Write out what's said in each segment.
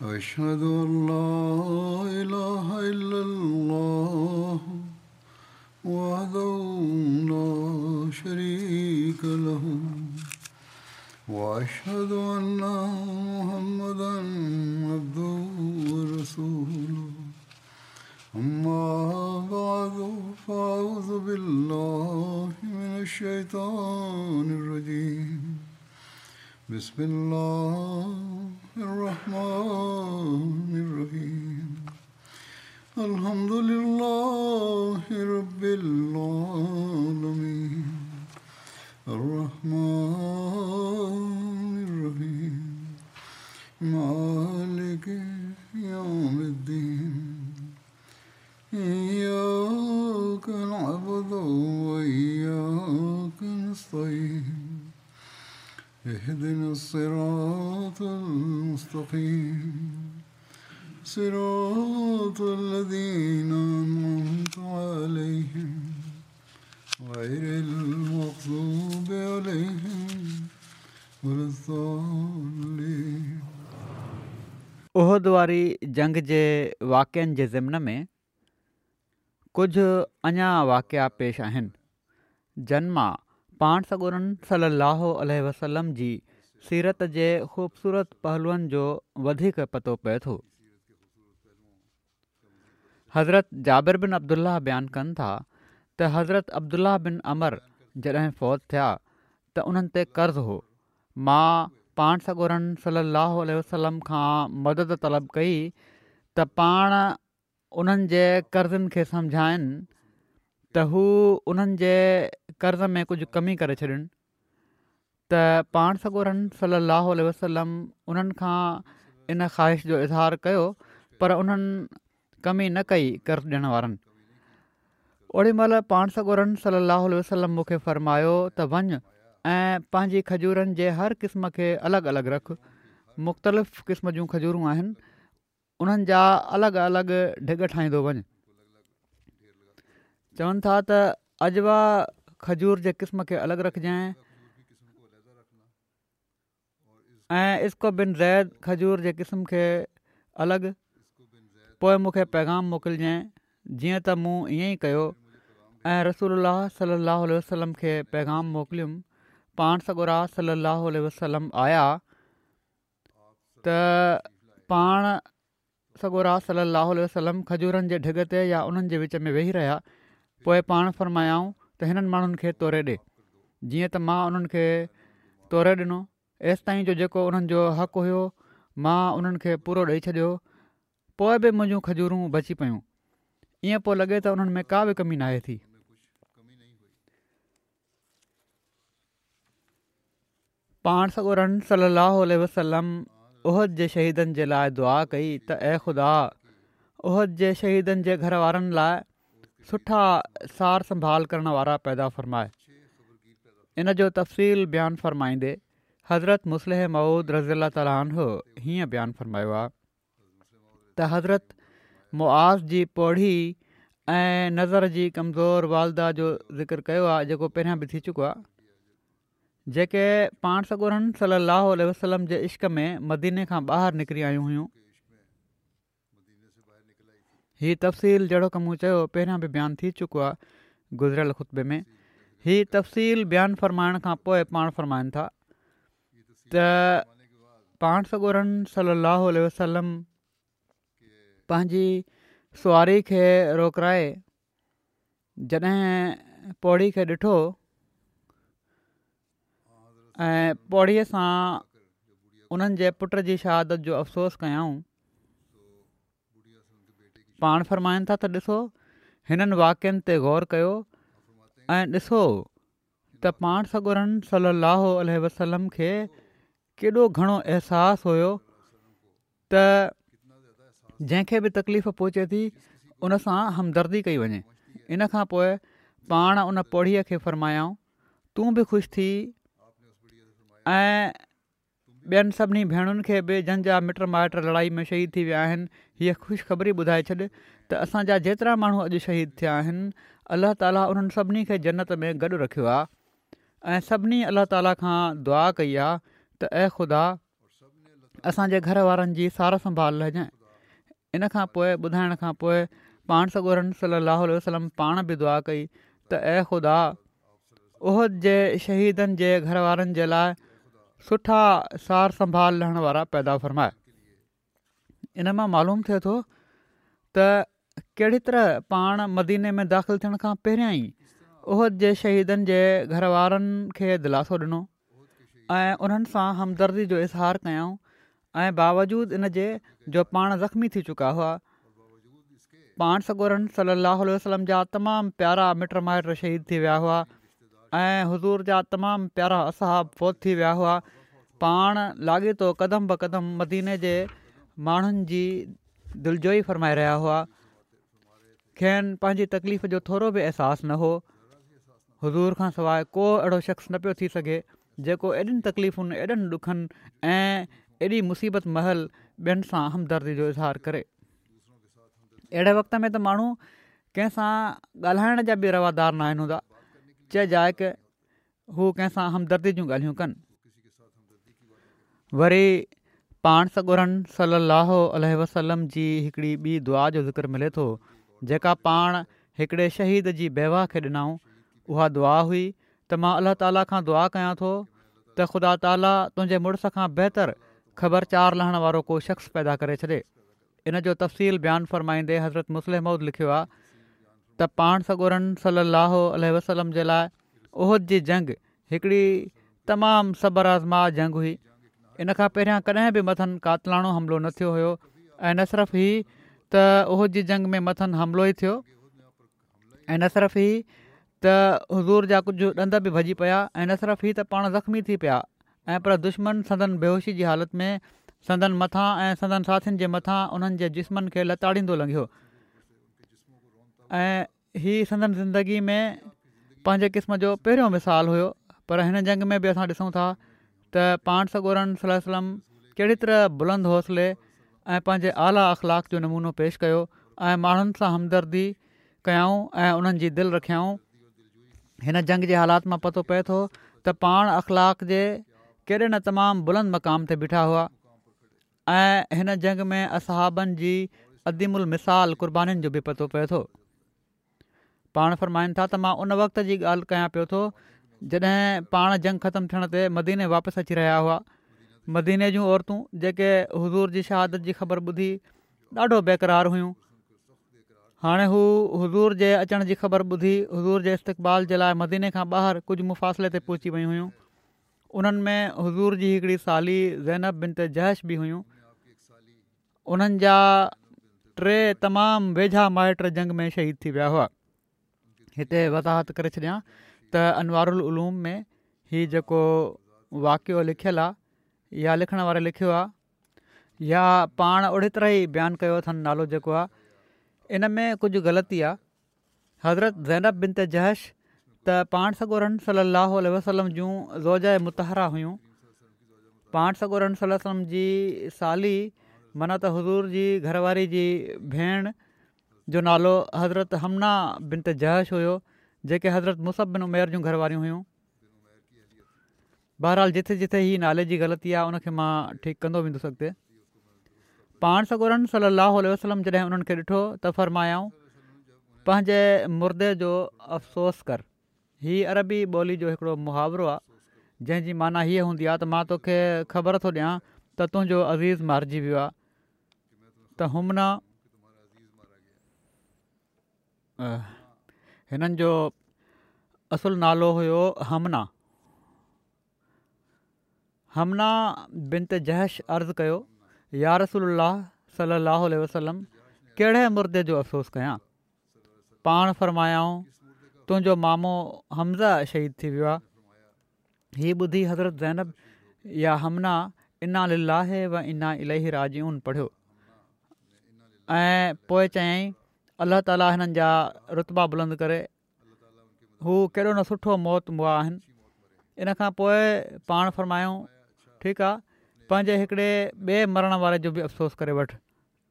أشهد أن لا إله إلا الله وحده لا شريك له وأشهد أن محمدا عبده ورسوله. أما بعد، فأعوذ بالله من الشيطان الرجيم. بسم الله الرحمن الرحيم. الحمد لله رب العالمين. الرحمن الرحيم. مالك يوم الدين. إياك نعبد وإياك نستعين. اهدنا الصراط المستقيم. صراط الذين أنعمت عليهم غير المغضوب عليهم ولا الضالين. احد واري جنگ جي واقعن جي ضمن ۾ ڪجهه اڃا واقعا پيش آهن، جن مان پاڻ سڳورن صلّي اللّٰه عليه وسلّم جي سيرت جي خوبصورت پهلوئن جو وڌيڪ پتو پئي ٿو. حضرت جابر بن عبدالله بيان ڪن ٿا ته حضرت عبدالله بن عمرو جڏهن فوت ٿيا ته انهن تي قرض هو. مان پاڻ سڳورن صلّي اللّٰه عليه وسلّم کان مدد طلب ڪئي ته پاڻ انهن جي قرضن کي سمجهائن ته هو انهن جي قرض ۾ ڪجهه ڪمي ڪري ڇڏين ته پاڻ سڳورن صلّي اللّٰه عليه وسلّم انهن کان ان خواهش جو اظهار ڪيو پر انهن ڪمي نه ڪئي قرض ڏيڻ وارن اوڏي مهل پاڻ سڳورن صلّي اللّٰه عليه وسلّم مون کي فرمايو ته وڃ ۽ پنهنجي کجورن جي هر قسم کي الڳ الڳ رک مختلف قسم جون کجورون آهن انهن جا الڳ الڳ ڍڳ ٺاهيندو وڃ. چون ٿا ته عجوه کجور جي قسم کي الڳ رکجانء ۽ عسڪو بن زيد کجور جي قسم کي الڳ. پوء مون کي پيغام موڪلجانء جيئن ته مون ائين ئي ڪيو ۽ رسول الله صلي الله عليه وسلم کي پيغام موڪليم پاڻ سڳورا صلي الله عليه وسلم آيا ته پاڻ سڳورا صلّي اللّٰه عليه وسلّم کجورن جي ڍڳ تي يا انهن جي وچ ۾ ويهي رهيا پوء پاڻ فرمايائون ته هنن ماڻهن کي توري ڏي جيئن ته مان انهن کي توري ڏنو ايستائين جو جيڪو انهن جو حق هيو مان انهن کي پورو ڏئي ڇڏيو پوء به منهنجون کجورون بچي پيون ائين پيو لڳي ته انهن ۾ ڪا به ڪمي ناهي ٿي. پاڻ سڳورن صلّي اللّٰه عليه وسلّم احد جي شهيدن جي لاء دعا ڪئي ته اي خدا! احد جي شهيدن جي گهر وارن لاء سٺا سار سنڀال ڪرڻ وارا پيدا فرماء. ان جو تفصيل بيان فرمائيندي حضرت مصلح موعود رضي الله تعالٰي عنه هيئن بيان فرمايو آهي. ته حضرت معاذ جي پوڙهي ۽ نظر جي ڪمزور والده جو ذڪر ڪيو آهي جيڪو پهريان به ٿي چڪو آهي جيڪي پاڻ سڳورن صلي الله عليه وسلم جي عشق ۾ مديني کان ٻاهر نڪري آيون هيون هي تفصيل جهڙوڪ مون چيو پهريان به بيان ٿي چڪو آهي گذريل خطبي ۾ هي تفصيل بيان فرمائڻ کان پوء پاڻ فرمائن ٿا ته پاڻ سڳورن صلي الله عليه وسلم پنهنجي سواري کي روڪرائي جڏهن پوڙهي کي ڏٺو ۽ پوڙهي سان انهن جي پٽ جي شهادت جو افسوس ڪيائون پاڻ فرمائن ٿا ته ڏسو هنن واقعن تي غور ڪيو ۽ ڏسو ته پاڻ سڳورن صلّي اللّٰه عليه وسلّم کي ڪيڏو گهڻو احساس هيو ته جنهن کي به تڪليف پهچي ٿي ان سان همدردي ڪئي وڃي ان کان پوء پاڻ ان پوڙهيء کي فرمايائون تون به خوش ٿي ۽ ٻين سڀني ڀيڻن کي به جن جا مٽ مائٽ لڙائي ۾ شهيد ٿي ويا آهن هيء خوشخبري ٻڌائي ڇڏ ته اسان جا جيترا ماڻهو اڄ شهيد ٿيا آهن الله تعالي انهن سڀني کي جنت ۾ گڏ رکيو آهي ۽ سڀني الله تعالي کان دعا ڪئي آهي ته اي خدا! اسان جي گهر وارن جي سار سنڀال لهجانء. ان کان پوء ٻڌائڻ کان پوء پاڻ سڳورن صلّي اللّٰه عليه وسلّم پاڻ به دعا ڪئي ته اي خدا! احد جي شهيدن جي گهر وارن جي لاء سٺا سار سنڀال لهڻ وارا پيدا فرماء. ان مان معلوم ٿئي ٿو ته ڪهڙي طرح پاڻ مديني ۾ داخل ٿيڻ کان پهريان ئي احد جي شهيدن جي گهر وارن کي دلاسو ڏنو ۽ انهن سان همدردي جو اظهار ڪيائون ۽ باوجود ان جي جو پاڻ زخمي ٿي چڪا هئا پاڻ سڳورن صلي الله عليه وسلم جا تمام پيارا مٽ مائٽ شهيد ٿي ويا هئا ۽ حضور جا تمام پيارا اصحاب فوت ٿي ويا هئا پاڻ لاڳيتو قدم به قدم مديني جي ماڻهن جي دلجوئي فرمائي رهيا هئا. کين پنهنجي تڪليف جو ٿورو به احساس نه هو. حضور کان سواء ڪو اهڙو شخص نه پيو ٿي سگهي جيڪو ايڏين تڪليفن، ايڏن ڏکن ۽ ايڏي مصيبت مهل ٻين سان همدردي جو اظهار ڪري. اهڙي وقت ۾ ته ماڻهو ڪنهن سان ڳالهائڻ جا به روادار ناهن هوندا. چه جاء ڪه هو ڪنهن سان همدردي جون ڳالهيون ڪن. وري پاڻ سڳورن صلّي اللّٰه عليه وسلّم جي هڪڙي ٻي دعا جو ذڪر ملي ٿو جيڪا پاڻ هڪڙي شهيد جي بيوه کي ڏنائون اها دعا هئي ته مان الله تعاليٰ کان دعا ڪيان ٿو ته خدا تعاليٰ تنهنجي مڙس کان بهتر خبرچار لهڻ وارو ڪو شخص پيدا ڪري ڇڏي. ان جو تفصيل بيان فرمائيندي حضرت مصلح موعود لکيو آهي ته پاڻ سڳورن صلّي اللّٰه عليه وسلّم جي لاء احد جي جنگ هڪڙي تمام صبر آزما جنگ هئي. ان کان پهريان ڪڏهن به مٿن قاتلاڻو حملو نه ٿيو هيو ۽ نه صرف هي ته احد جي جنگ ۾ مٿن حملو ئي ٿيو ۽ نه صرف هي ته حضور جا ڪجهه ڏند به ڀڄي پيا ۽ نه صرف هي ته پاڻ زخمي ٿي پيا ۽ پر دشمن سندن بيهوشي جي حالت ۾ سندن مٿان ۽ سندن ساٿين جي مٿان انهن جي جسمن کي لتاڙيندو لنگهيو ۽ هي سندن زندگي ۾ پنهنجي قسم جو پهريون مثال هيو پر هن جنگ ۾ به اسان ڏسون ٿا ته پاڻ سڳورن صلي الله عليه وسلم ڪهڙي طرح بلند حوصلي ۽ پنهنجي اعليٰ اخلاق جو نمونو پيش ڪيو ۽ ماڻهن سان همدردي ڪيائون ۽ انهن جي دل رکيائون. هن جنگ جي حالات مان پتو پئي ٿو ته پاڻ اخلاق جي ڪيڏي نه تمام بلند مقام تي بيٺا هئا ۽ هن جنگ ۾ اصحابن جي عظيم المثال قربانين جو به پتو پئي ٿو. پاڻ فرمائن ٿا ته مان ان وقت جي ڳالهه ڪيان پيو ٿو جڏهن پاڻ جنگ ختم ٿيڻ تي مديني واپس اچي رهيا هئا. مديني جون عورتون جيڪي حضور جي شهادت جي خبر ٻڌي ڏاڍو بيقرار هيون. هاڻي هو حضور جي اچڻ جي خبر ٻڌي حضور جي استقبال جي لاء مديني کان ٻاهر ڪجهه مفاصلي تي پهچي ويون هيون. انهن ۾ حضور جي هڪڙي سالي زينب بنت جحش به هيون. انهن جا ٽي تمام ويجها مائٽ جنگ ۾ شهيد ٿي ويا هئا. هتي وضاحت ڪري ڇڏيان ته انوار العلوم ۾ هي جيڪو واقعو لکيل آ يا لکڻ واري لکيو آ يا پاڻ اهڙي طرح ئي بيان ڪيو اٿن نالو جيڪو آ ان ۾ ڪجهه غلطي آ حضرت زينب بنت جحش ته پاڻ سڳورن صلي الله عليه وسلم جون زوجه مطهره هيون پاڻ سڳورن صلي الله عليه وسلم جي سالي معنيٰ ته حضور جي گهر واري جي ڀيڻ جو نالو حضرت حمنه بنت جحش هيو جيڪي حضرت مصعب بن عمير جون گهر واريون هيون بهرحال جٿي جٿي هي نالي جي غلطي آهي ان کي مان ٺيڪ ڪندو ويندس اڳتي. پاڻ سڳورن صلي الله عليه وسلم جڏهن انهن کي ڏٺو ته فرمايائون پنهنجي مردي جو افسوس ڪر. هي عربي ٻولي جو هڪڙو محاورو آهي جنهن جي معنيٰ هيء هوندي آهي ته مان توکي خبر ٿو ڏيان ته تنهنجو عزيز مارجي ويو آهي ته حمنه هنن جو اصل نالو هيو حمنه. حمنه بنت جحش عرض ڪيو، يا رسول الله صلي الله عليه وسلم ڪهڙي مردي جو افسوس ڪيان؟ پاڻ فرمايائون، تنهنجو مامو حمزه شهيد ٿي ويو آهي. هي ٻڌي حضرت زينب يا حمنه انا لله و انا اليه راجعون پڙهيو ۽ پوء چيائين الله تعالي هنن جا رتبا بلند ڪري هو ڪيڏو نه سٺو موت مئا آهن ان کان پوء پاڻ فرمايائون ٺيڪ آ پنهنجي هڪڙي ٻئي مرڻ واري جو به افسوس ڪري وٺ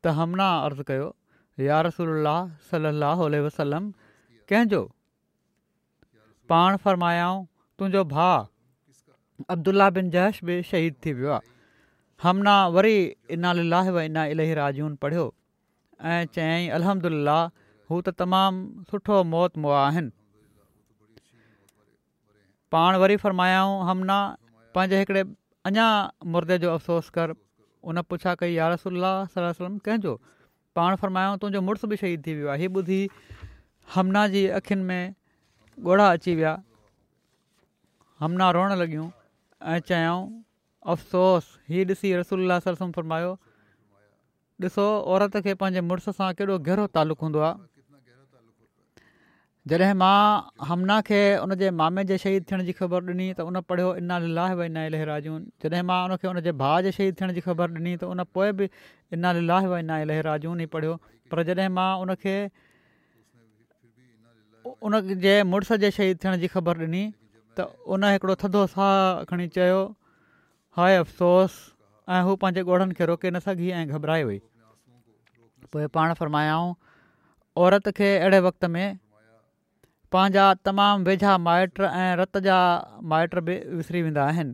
ته حمنه عرض ڪيو يا رسول الله صلي الله عليه وسلم ڪنهن جو پاڻ فرمايائون، تنهنجو ڀاء عبدالله بن جحش به شهيد ٿي ويو آهي. حمنه وري انا لله و انا اليه راجعون پڙهيو ۽ چيائين الحمدلله هو ته تمام سٺو موت مئا آهن. پاڻ وري فرمايائون حمنه پنهنجي هڪڙي اڃا مردي جو افسوس ڪر. ان پڇا ڪئي يارسول الله صلي الله عليه وسلم ڪنهن جو؟ پاڻ فرمايائون تنهنجو مڙس به شهيد ٿي ويو آهي. هي ٻڌي حمنه جي اکين ۾ ڳوڙها اچي ويا. حمنه روئڻ لڳيون ۽ چيائون افسوس! هي ڏسي رسول الله صلي الله عليه وسلم فرمايو ڏسو عورت کي پنهنجي مڙس سان ڪيڏو گهرو تعلق هوندو آهي. جڏهن مان حمنه کي ان جي مامي جي شهيد ٿيڻ جي خبر ڏني ته ان پڙهيو انا لله و انا اليه راجعون جڏهن مان ان کي ان جي ڀاء جي شهيد ٿيڻ جي خبر ڏني ته ان پوء به انا لله و انا اليه راجعون ئي پڙهيو پر جڏهن مان ان کي ان جي مڙس جي شهيد ٿيڻ جي خبر ڏني ته ان هڪڙو ٿڌو ساهه کڻي چيو هاء افسوس ۽ هو پنهنجي ڳوڙهن کي روڪي نه سگهي ۽ گهٻرائي وئي. پوء پاڻ فرمايائون، عورت کي اهڙي وقت ۾ پنهنجا تمام ويجها مائٽ ۽ رت جا مائٽ به وسري ويندا آهن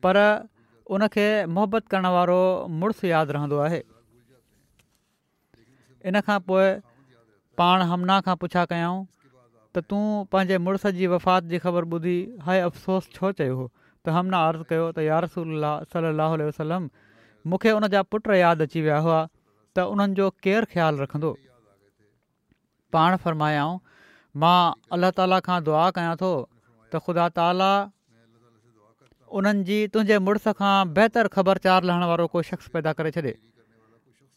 پر ان کي محبت ڪرڻ وارو مڙس ياد رهندو آهي. ان کان پوء پاڻ حمنه کان پڇا ڪيائون ته تون پنهنجي مڙس جي وفات جي خبر ٻڌي هاء افسوس ڇو چيو هو ته حمنه عرض ڪيو ته يارسول الله صلي الله عليه وسلم مون کي ان جا پٽ ياد اچي ويا هئا ته انهن جو ڪير خيال رکندو؟ پاڻ فرمايائون، مان الله تعاليٰ کان دعا ڪيان ٿو ته خدا تعاليٰ انهن جي تنهنجي مڙس کان بهتر خبرچار لهڻ وارو ڪو شخص پيدا ڪري ڇڏي.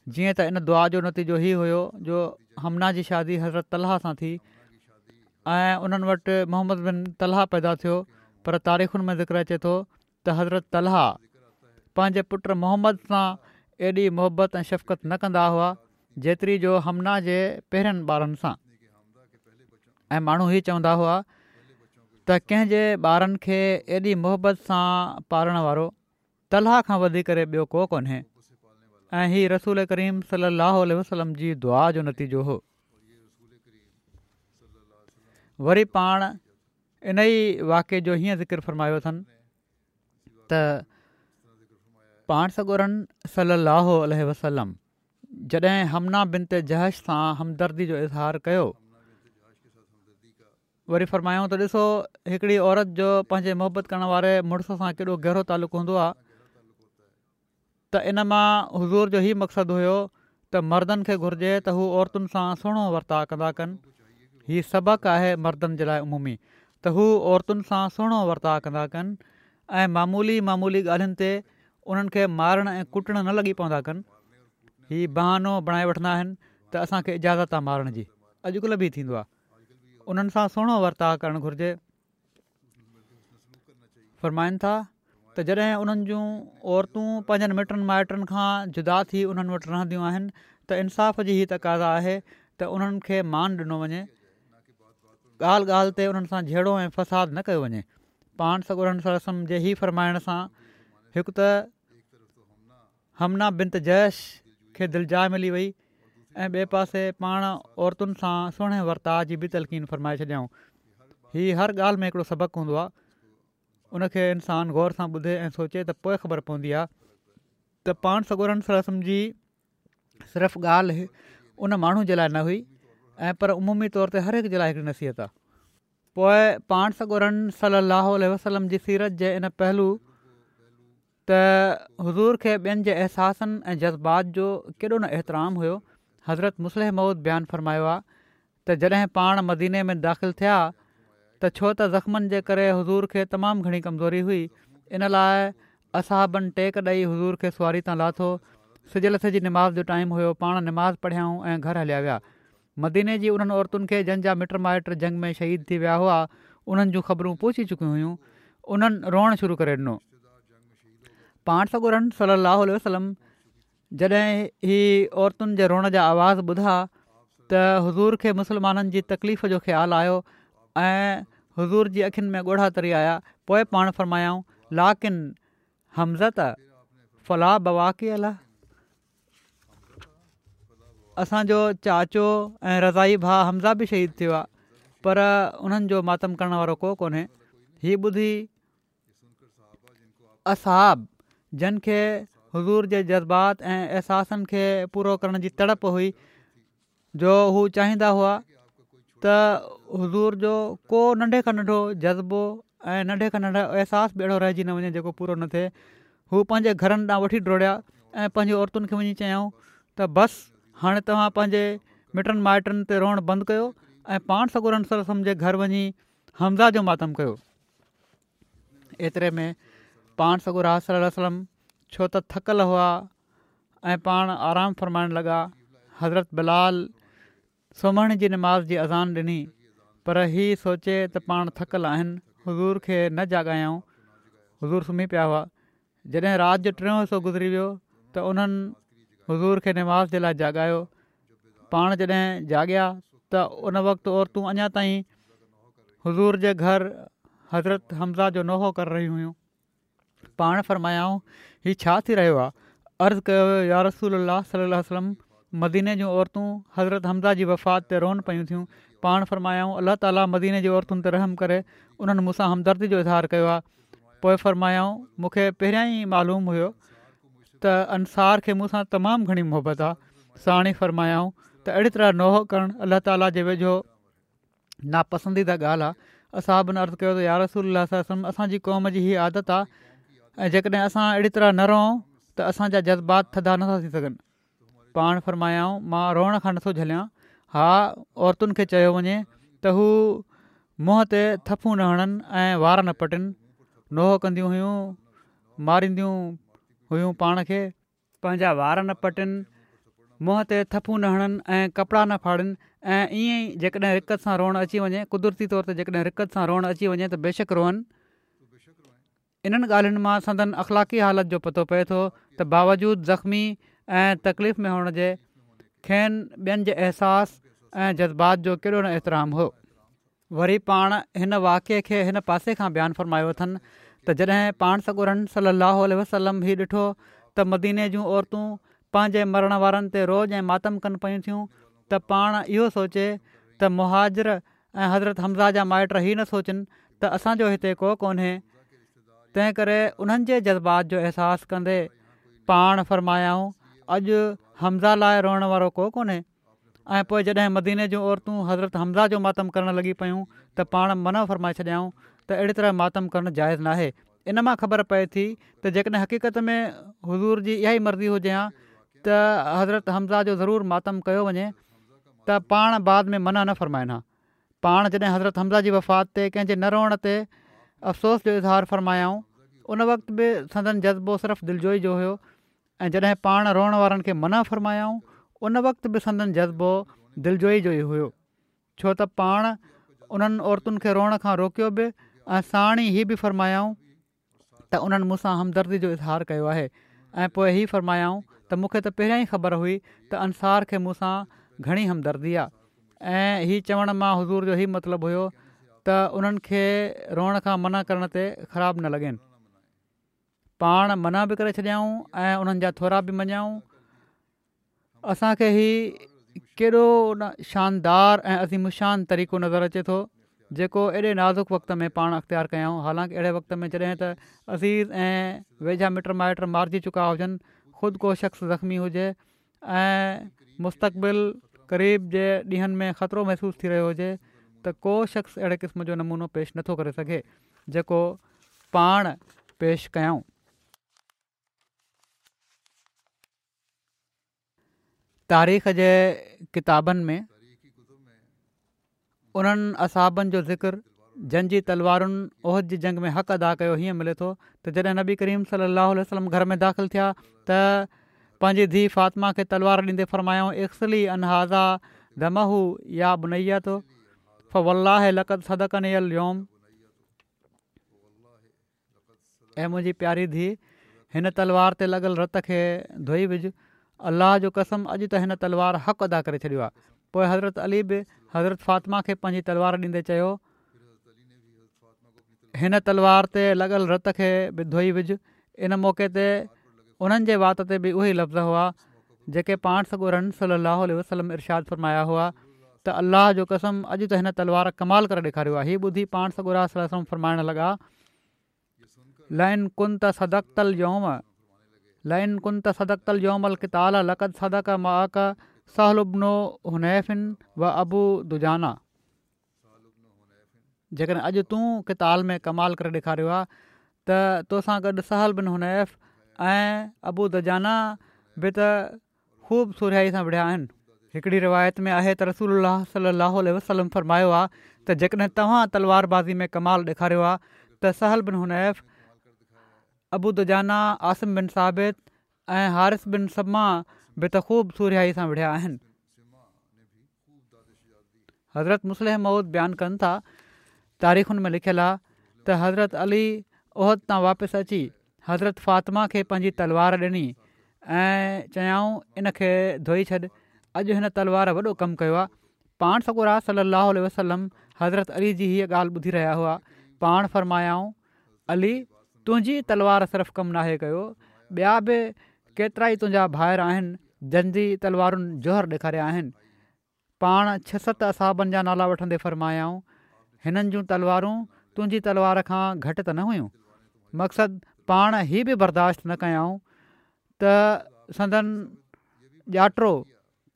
جيئن ته ان دعا جو نتيجو هي هيو جو حمنه جي شادي حضرت طلحه سان ٿي ۽ انهن وٽ محمد بن طلحه پيدا ٿيو پر تاريخن ۾ ذڪر اچي ٿو ته حضرت طلحه پنهنجي پٽ محمد سان ايڏي محبت ۽ شفقت نه ڪندا هئا جيتري جو حمنه جي پهرين ٻارن سان ۽ ماڻهو هي چوندا هئا ته ڪنهن جي ٻارن کي ايڏي محبت سان پالڻ وارو طلحه کان وڌي ڪري ٻيو ڪو ڪونهي ۽ هي رسول ڪريم صلي الله عليه وسلم جي دعا جو نتيجو هو. وري پاڻ انهيء واقعي جو هيئن ذڪر فرمايو اٿن ته پاڻ سڳورن صلي الله عليه وسلم جڏهن حمنه بنت جحش سان همدردي جو اظهار ڪيو وري فرمايائون ته ڏسو هڪڙي عورت جو پنهنجي محبت ڪرڻ واري مڙس سان ڪيڏو گهرو تعلق هوندو آهي ته ان مان حضور جو هي مقصد هيو ته مردن کي گهرجي ته هو عورتن سان سهڻو ورتاء ڪندا ڪن. هي سبق آهي مردن جي لاء عمومي ته هو عورتن سان سهڻو ورتاء ڪندا ڪن ۽ معمولي معمولي ڳالهين تي انهن کي مارڻ ۽ ڪٽڻ نه لڳي پوندا ڪن. هي بهانو بڻائي وٺندا آهن ته اسان کي اجازت آ مارڻ جي. اڄڪلهه به هي ٿيندو آ. انهن سان سهڻو ورتاء ڪرڻ گهرجي. فرمائن ٿا ته جڏهن انهن جون عورتون پنهنجن مٽن مائٽن کان جدا ٿي انهن وٽ رهنديون آهن ته انصاف جي هي تقاضا آهي ته انهن کي مان ڏنو وڃي ڳالهه ڳالهه تي انهن سان جهيڙو ۽ فساد نه ڪيو وڃي پاڻ سڳورن صلي الله عليه وسلم جي هي فرمائڻ سان هڪ ته حمنه بنت جحش کي دلجاء ملي وئي ۽ ٻئي پاسي پاڻ عورتن سان سهڻي ورتاء جي به تلقين فرمائي ڇڏيائون. هي هر ڳالهه ۾ هڪڙو سبق هوندو آهي. ان کي انسان غور سان ٻڌي ۽ سوچي ته پوء خبر پوندي آهي ته پاڻ سڳورن صلي الله عليه وسلم جي صرف ڳالهه ان ماڻهو جي لاء نه هئي ۽ پر عمومي طور تي هر هڪ جي لاء هڪڙي نصيحت آهي. پوء پاڻ سڳورن صلي الله عليه وسلم جي سيرت جي ان پهلو ته حضور کي ٻين جي احساسن ۽ جذبات جو ڪيڏو نه احترام هيو. حضرت مصلح موعود بيان فرمايو آ ته جڏهن پاڻ مديني ۾ داخل ٿيا ته ڇو ته زخمن جي ڪري حضور کي تمام گهڻي ڪمزوري هئي ان لاء اصحابن ٽيڪ ڏئي حضور کي سواري تان لاٿو. سج لٿي جي نماز جو ٽائيم هيو پاڻ نماز پڙهيائون ۽ گهر هليا ويا. مديني جي انهن عورتن کي جن جا مٽ مائٽ جنگ ۾ شهيد ٿي ويا هئا انهن جون خبرون پهچي چڪيون هيون انهن روئڻ شروع ڪري ڏنو پاڻ سڳورن صلي الله عليه وسلم جڏهن هي عورتن جي روئڻ جا آواز ٻڌا ته حضور کي مسلمانن جي تڪليف جو خيال آيو ۽ حضور جي اکين ۾ ڳوڙها تري آيا پوء پاڻ فرمايائون لاڪن حمزة فلا بواڪي له اسان جو چاچو ۽ رضاعي ڀاء حمزه به شهيد ٿيو آهي پر انهن جو ماتم ڪرڻ وارو ڪو ڪونهي هي ٻڌي اصحاب جن کي حضور جي جذبات ۽ احساسن کي پورو ڪرڻ جي تڙپ هئي جو هو چاهيندا هئا ته حضور جو ڪو ننڍي کان ننڍو جذبو ۽ ننڍي کان ننڍو احساس به اهڙو رهجي نه وڃي جيڪو پورو نه ٿئي. هو پنهنجي گهرن ڏانهن وٺي ڊوڙيا ۽ پنهنجي عورتن کي وڃي چيائون ته بس هاڻي توهان پنهنجي مٽن مائٽن تي روئڻ بند ڪيو ۽ پاڻ سڳورن صلي الله عليه وسلم جي گهر وڃي حمزه جو ماتم ڪيو. ايتري ۾ پاڻ سڳورا صلي الله عليه وسلم ڇو ته ٿڪل هئا ۽ پاڻ آرام فرمائڻ لڳا. حضرت بلال سومهڻي جي نماز جي اذان ڏني پر هي سوچي ته پاڻ ٿڪل آهن حضور کي نه جاڳايائون. حضور سمهي پيا هئا. جڏهن رات جو ٽيون حصو گذري ويو ته انهن حضور کي نماز جي لاء جاڳايو. پاڻ جڏهن جاڳيا ته ان وقت عورتون اڃا تائين حضور جي گهر حضرت حمزه جو نوحو ڪري رهيون هيون. پاڻ فرمايائون، هي ڇا ٿي رهيو آهي؟ عرض ڪيو ويو، يا رسول الله صلي الله عليه وسلم! مديني جون عورتون حضرت حمزه جي وفات تي رون پيون ٿيون. پاڻ فرمايائون، الله تعاليٰ مديني جي عورتن تي رحم ڪري، انهن مون سان همدردي جو اظهار ڪيو آهي. پوء فرمايائون، مون کي پهريان ئي معلوم هيو ته انصار کي مون سان تمام گهڻي محبت آهي. ساڻ ئي فرمايائون ته اهڙي طرح نوحو ڪرڻ الله تعاليٰ جي ويجهو ناپسنديده ڳالهه آهي. اصحابن عرض ڪيو ته يارسول الله صلي الله عليه وسلم اسان جي قوم جي هي عادت آهي ۽ جيڪڏهن اسان اهڙي طرح نه روئون ته اسان جا جذبات ٿڌا نٿا ٿي سگهن. پاڻ فرمايائون مان روئڻ کان نٿو جهليان. ها عورتن کي چيو وڃي ته هو منهن تي ٿڦون نه هڻن ۽ وار نه پٽن. نوحو ڪنديون هيون، مارينديون هيون پاڻ کي. پنهنجا وار نه پٽين، منهن تي ٿڦون نه هڻن ۽ ڪپڙا نه ڦاڙين ۽ ائين ئي جيڪڏهن رقت سان روئڻ اچي وڃي، قدرتي طور تي جيڪڏهن رقت سان روئڻ اچي وڃي ته بيشڪ روئن. انهن ڳالهين مان سندن اخلاقي حالت جو پتو پئي ٿو ته باوجود زخمي ۽ تڪليف ۾ هئڻ جي کين ٻين جي احساس ۽ جذبات جو ڪيڏو نه احترام هو. وري پاڻ هن واقعي کي هن پاسي کان بيان فرمايو اٿن ته جڏهن پاڻ سڳورن صلّي اللّٰه عليه وسلّم هي ڏٺو ته مديني جون عورتون پنهنجي مرڻ وارن تي روڄ ۽ ماتم ڪن پيون ٿيون ته پاڻ اهو سوچي ته مهاجر ۽ حضرت حمزه جا مائٽ هي نه سوچن ته اسان جو هتي ڪو ڪونهي تنهن ڪري انهن جي جذبات جو احساس ڪندي پاڻ فرمايائون اڄ حمزه لاء روئڻ وارو ڪو ڪونهي. ۽ پوء جڏهن مديني جون عورتون حضرت حمزه جو ماتم ڪرڻ لڳي پيون ته پاڻ منع فرمائي ڇڏيائون ته اهڙي طرح ماتم ڪرڻ جائز ناهي. ان مان خبر پئي ٿي ته جيڪڏهن حقيقت ۾ حضور جي اها ئي مرضي هجي ها ته حضرت حمزه جو ضرور ماتم ڪيو وڃي ته پاڻ بعد ۾ منع نه فرمائن ها. پاڻ جڏهن حضرت حمزه جي وفات تي ڪنهن جي نه روئڻ تي افسوس جو اظهار فرمايائون ان وقت به سندن جذبو صرف دلجوئي جو هيو ۽ جڏهن پاڻ روئڻ وارن کي منع فرمايائون ان وقت به سندن جذبو دلجوئي جو ئي هيو ڇو ته پاڻ انهن عورتن کي روئڻ کان روڪيو به ۽ ساڻ ئي هي به فرمايائون ته انهن مون سان همدردي جو اظهار ڪيو آهي ۽ پوء هي فرمايائون ته مون کي ته پهريان ئي خبر هئي ته انصار کي مون سان گهڻي همدردي آ ۽ هي چوڻ مان حضور جو هي مطلب هيو ته انهن کي روئڻ کان منع ڪرڻ تي خراب نه لڳين. پاڻ منع به ڪري ڇڏيائون ۽ انهن جا ٿورا به مڃيائون اسان کي هي ڪيڏو نه شاندار ۽ عظيم الشان طريقو نظر اچي ٿو جيڪو ايڏي نازڪ وقت ۾ پاڻ اختيار ڪيائون حالانڪ اهڙي وقت ۾ جڏهن ته عزيز ۽ ويجها مٽ مائٽ مارجي چڪا هجن خود ڪو شخص زخمي هجي ۽ مستقبل قريب جي ڏينهن ۾ خطرو محسوس ٿي رهيو هجي ته ڪو شخص اهڙي قسم جو نمونو پيش نٿو ڪري سگهي جيڪو پاڻ پيش ڪيائون. تاريخ جي ڪتابن ۾ انهن اصحابن جو ذڪر جن جي تلوارن احد جي جنگ ۾ حق ادا ڪيو هيئن ملي ٿو ته جڏهن نبي ڪريم صلي الله عليه وسلم گهر ۾ داخل ٿيا ته پنهنجي ڌيء فاطمه کي تلوار ڏيندي فرمايائون اغسلي عن هذا دمه يا بنية فوالله لقد صدقني اليوم اي منهنجي پياري ڌيء! هن تلوار تي لڳل رت کي ڌوئي وجهه. الله جو قسم اڄ ته هن تلوار حق ادا ڪري ڇڏيو آهي. پوء حضرت علي به حضرت فاطمه کي پنهنجي تلوار ڏيندي چيو، هن تلوار تي لڳل رت کي به ڌوئي وجهه. ان موقعي تي انهن جي وات تي به اهي لفظ هئا، جيڪي پاڻ سڳورن صلّي اللّٰه عليه وسلّم ارشاد فرمايا هئا ته الله جو قسم اڄ ته هن تلوار ڪمال ڪري ڏيکاريو آهي. هي ٻڌي پاڻ سڳورا صلّي اللّٰه عليه وسلّم فرمائڻ لڳا، لئن ڪنت صدقت اليوم. لئن ڪنت صدقت اليوم القتال لقد صدق معک سهل بن حنيف و ابو دجانه. جيڪڏهن اڄ تون قتال ۾ ڪمال ڪري ڏيکاريو آ ته توسان گڏ سهل بن حنيف ۽ ابو دجانه به ته خوب سورهيائي سان وڙهيا آهن. هڪڙي روايت ۾ آهي ته رسول الله صلي الله عليه وسلم فرمايو آ ته جيڪڏهن توهان تلوار بازي ۾ ڪمال ڏيکاريو آ ته سهل بن حنيف، ابو دجانه، عاصم بن ثابت ۽ حارث بن صمه به ته خوب سورهيائي سان وڙهيا آهن. حضرت مصلح موعود بيان ڪن ٿا، تاريخن ۾ لکيل آ ته حضرت علي احد تان واپس اچي حضرت فاطمه کي پنهنجي تلوار ڏني ۽ چيائون ان کي ڌوئي ڇڏ، اڄ هن تلوار وڏو ڪم ڪيو آ. پاڻ سڳورا صلّي اللّٰه عليه وسلّم حضرت علي جي هيء ڳالهه ٻڌي رهيا هئا، پاڻ فرمايائون، علي! تنهنجي تلوار صرف ڪم ناهي ڪيو، ٻيا به ڪيترائي تنهنجا ڀائر آهن جن جي تلوارن جوهر ڏيکاريا آهن. پاڻ ڇهه ست اصحابن جا نالا وٺندي فرمايائون، هنن جون تلوارون تنهنجي تلوار کان گهٽ ته نه هيون. مقصد پاڻ هي به برداشت نه ڪيائون ته سندن ڄاٽو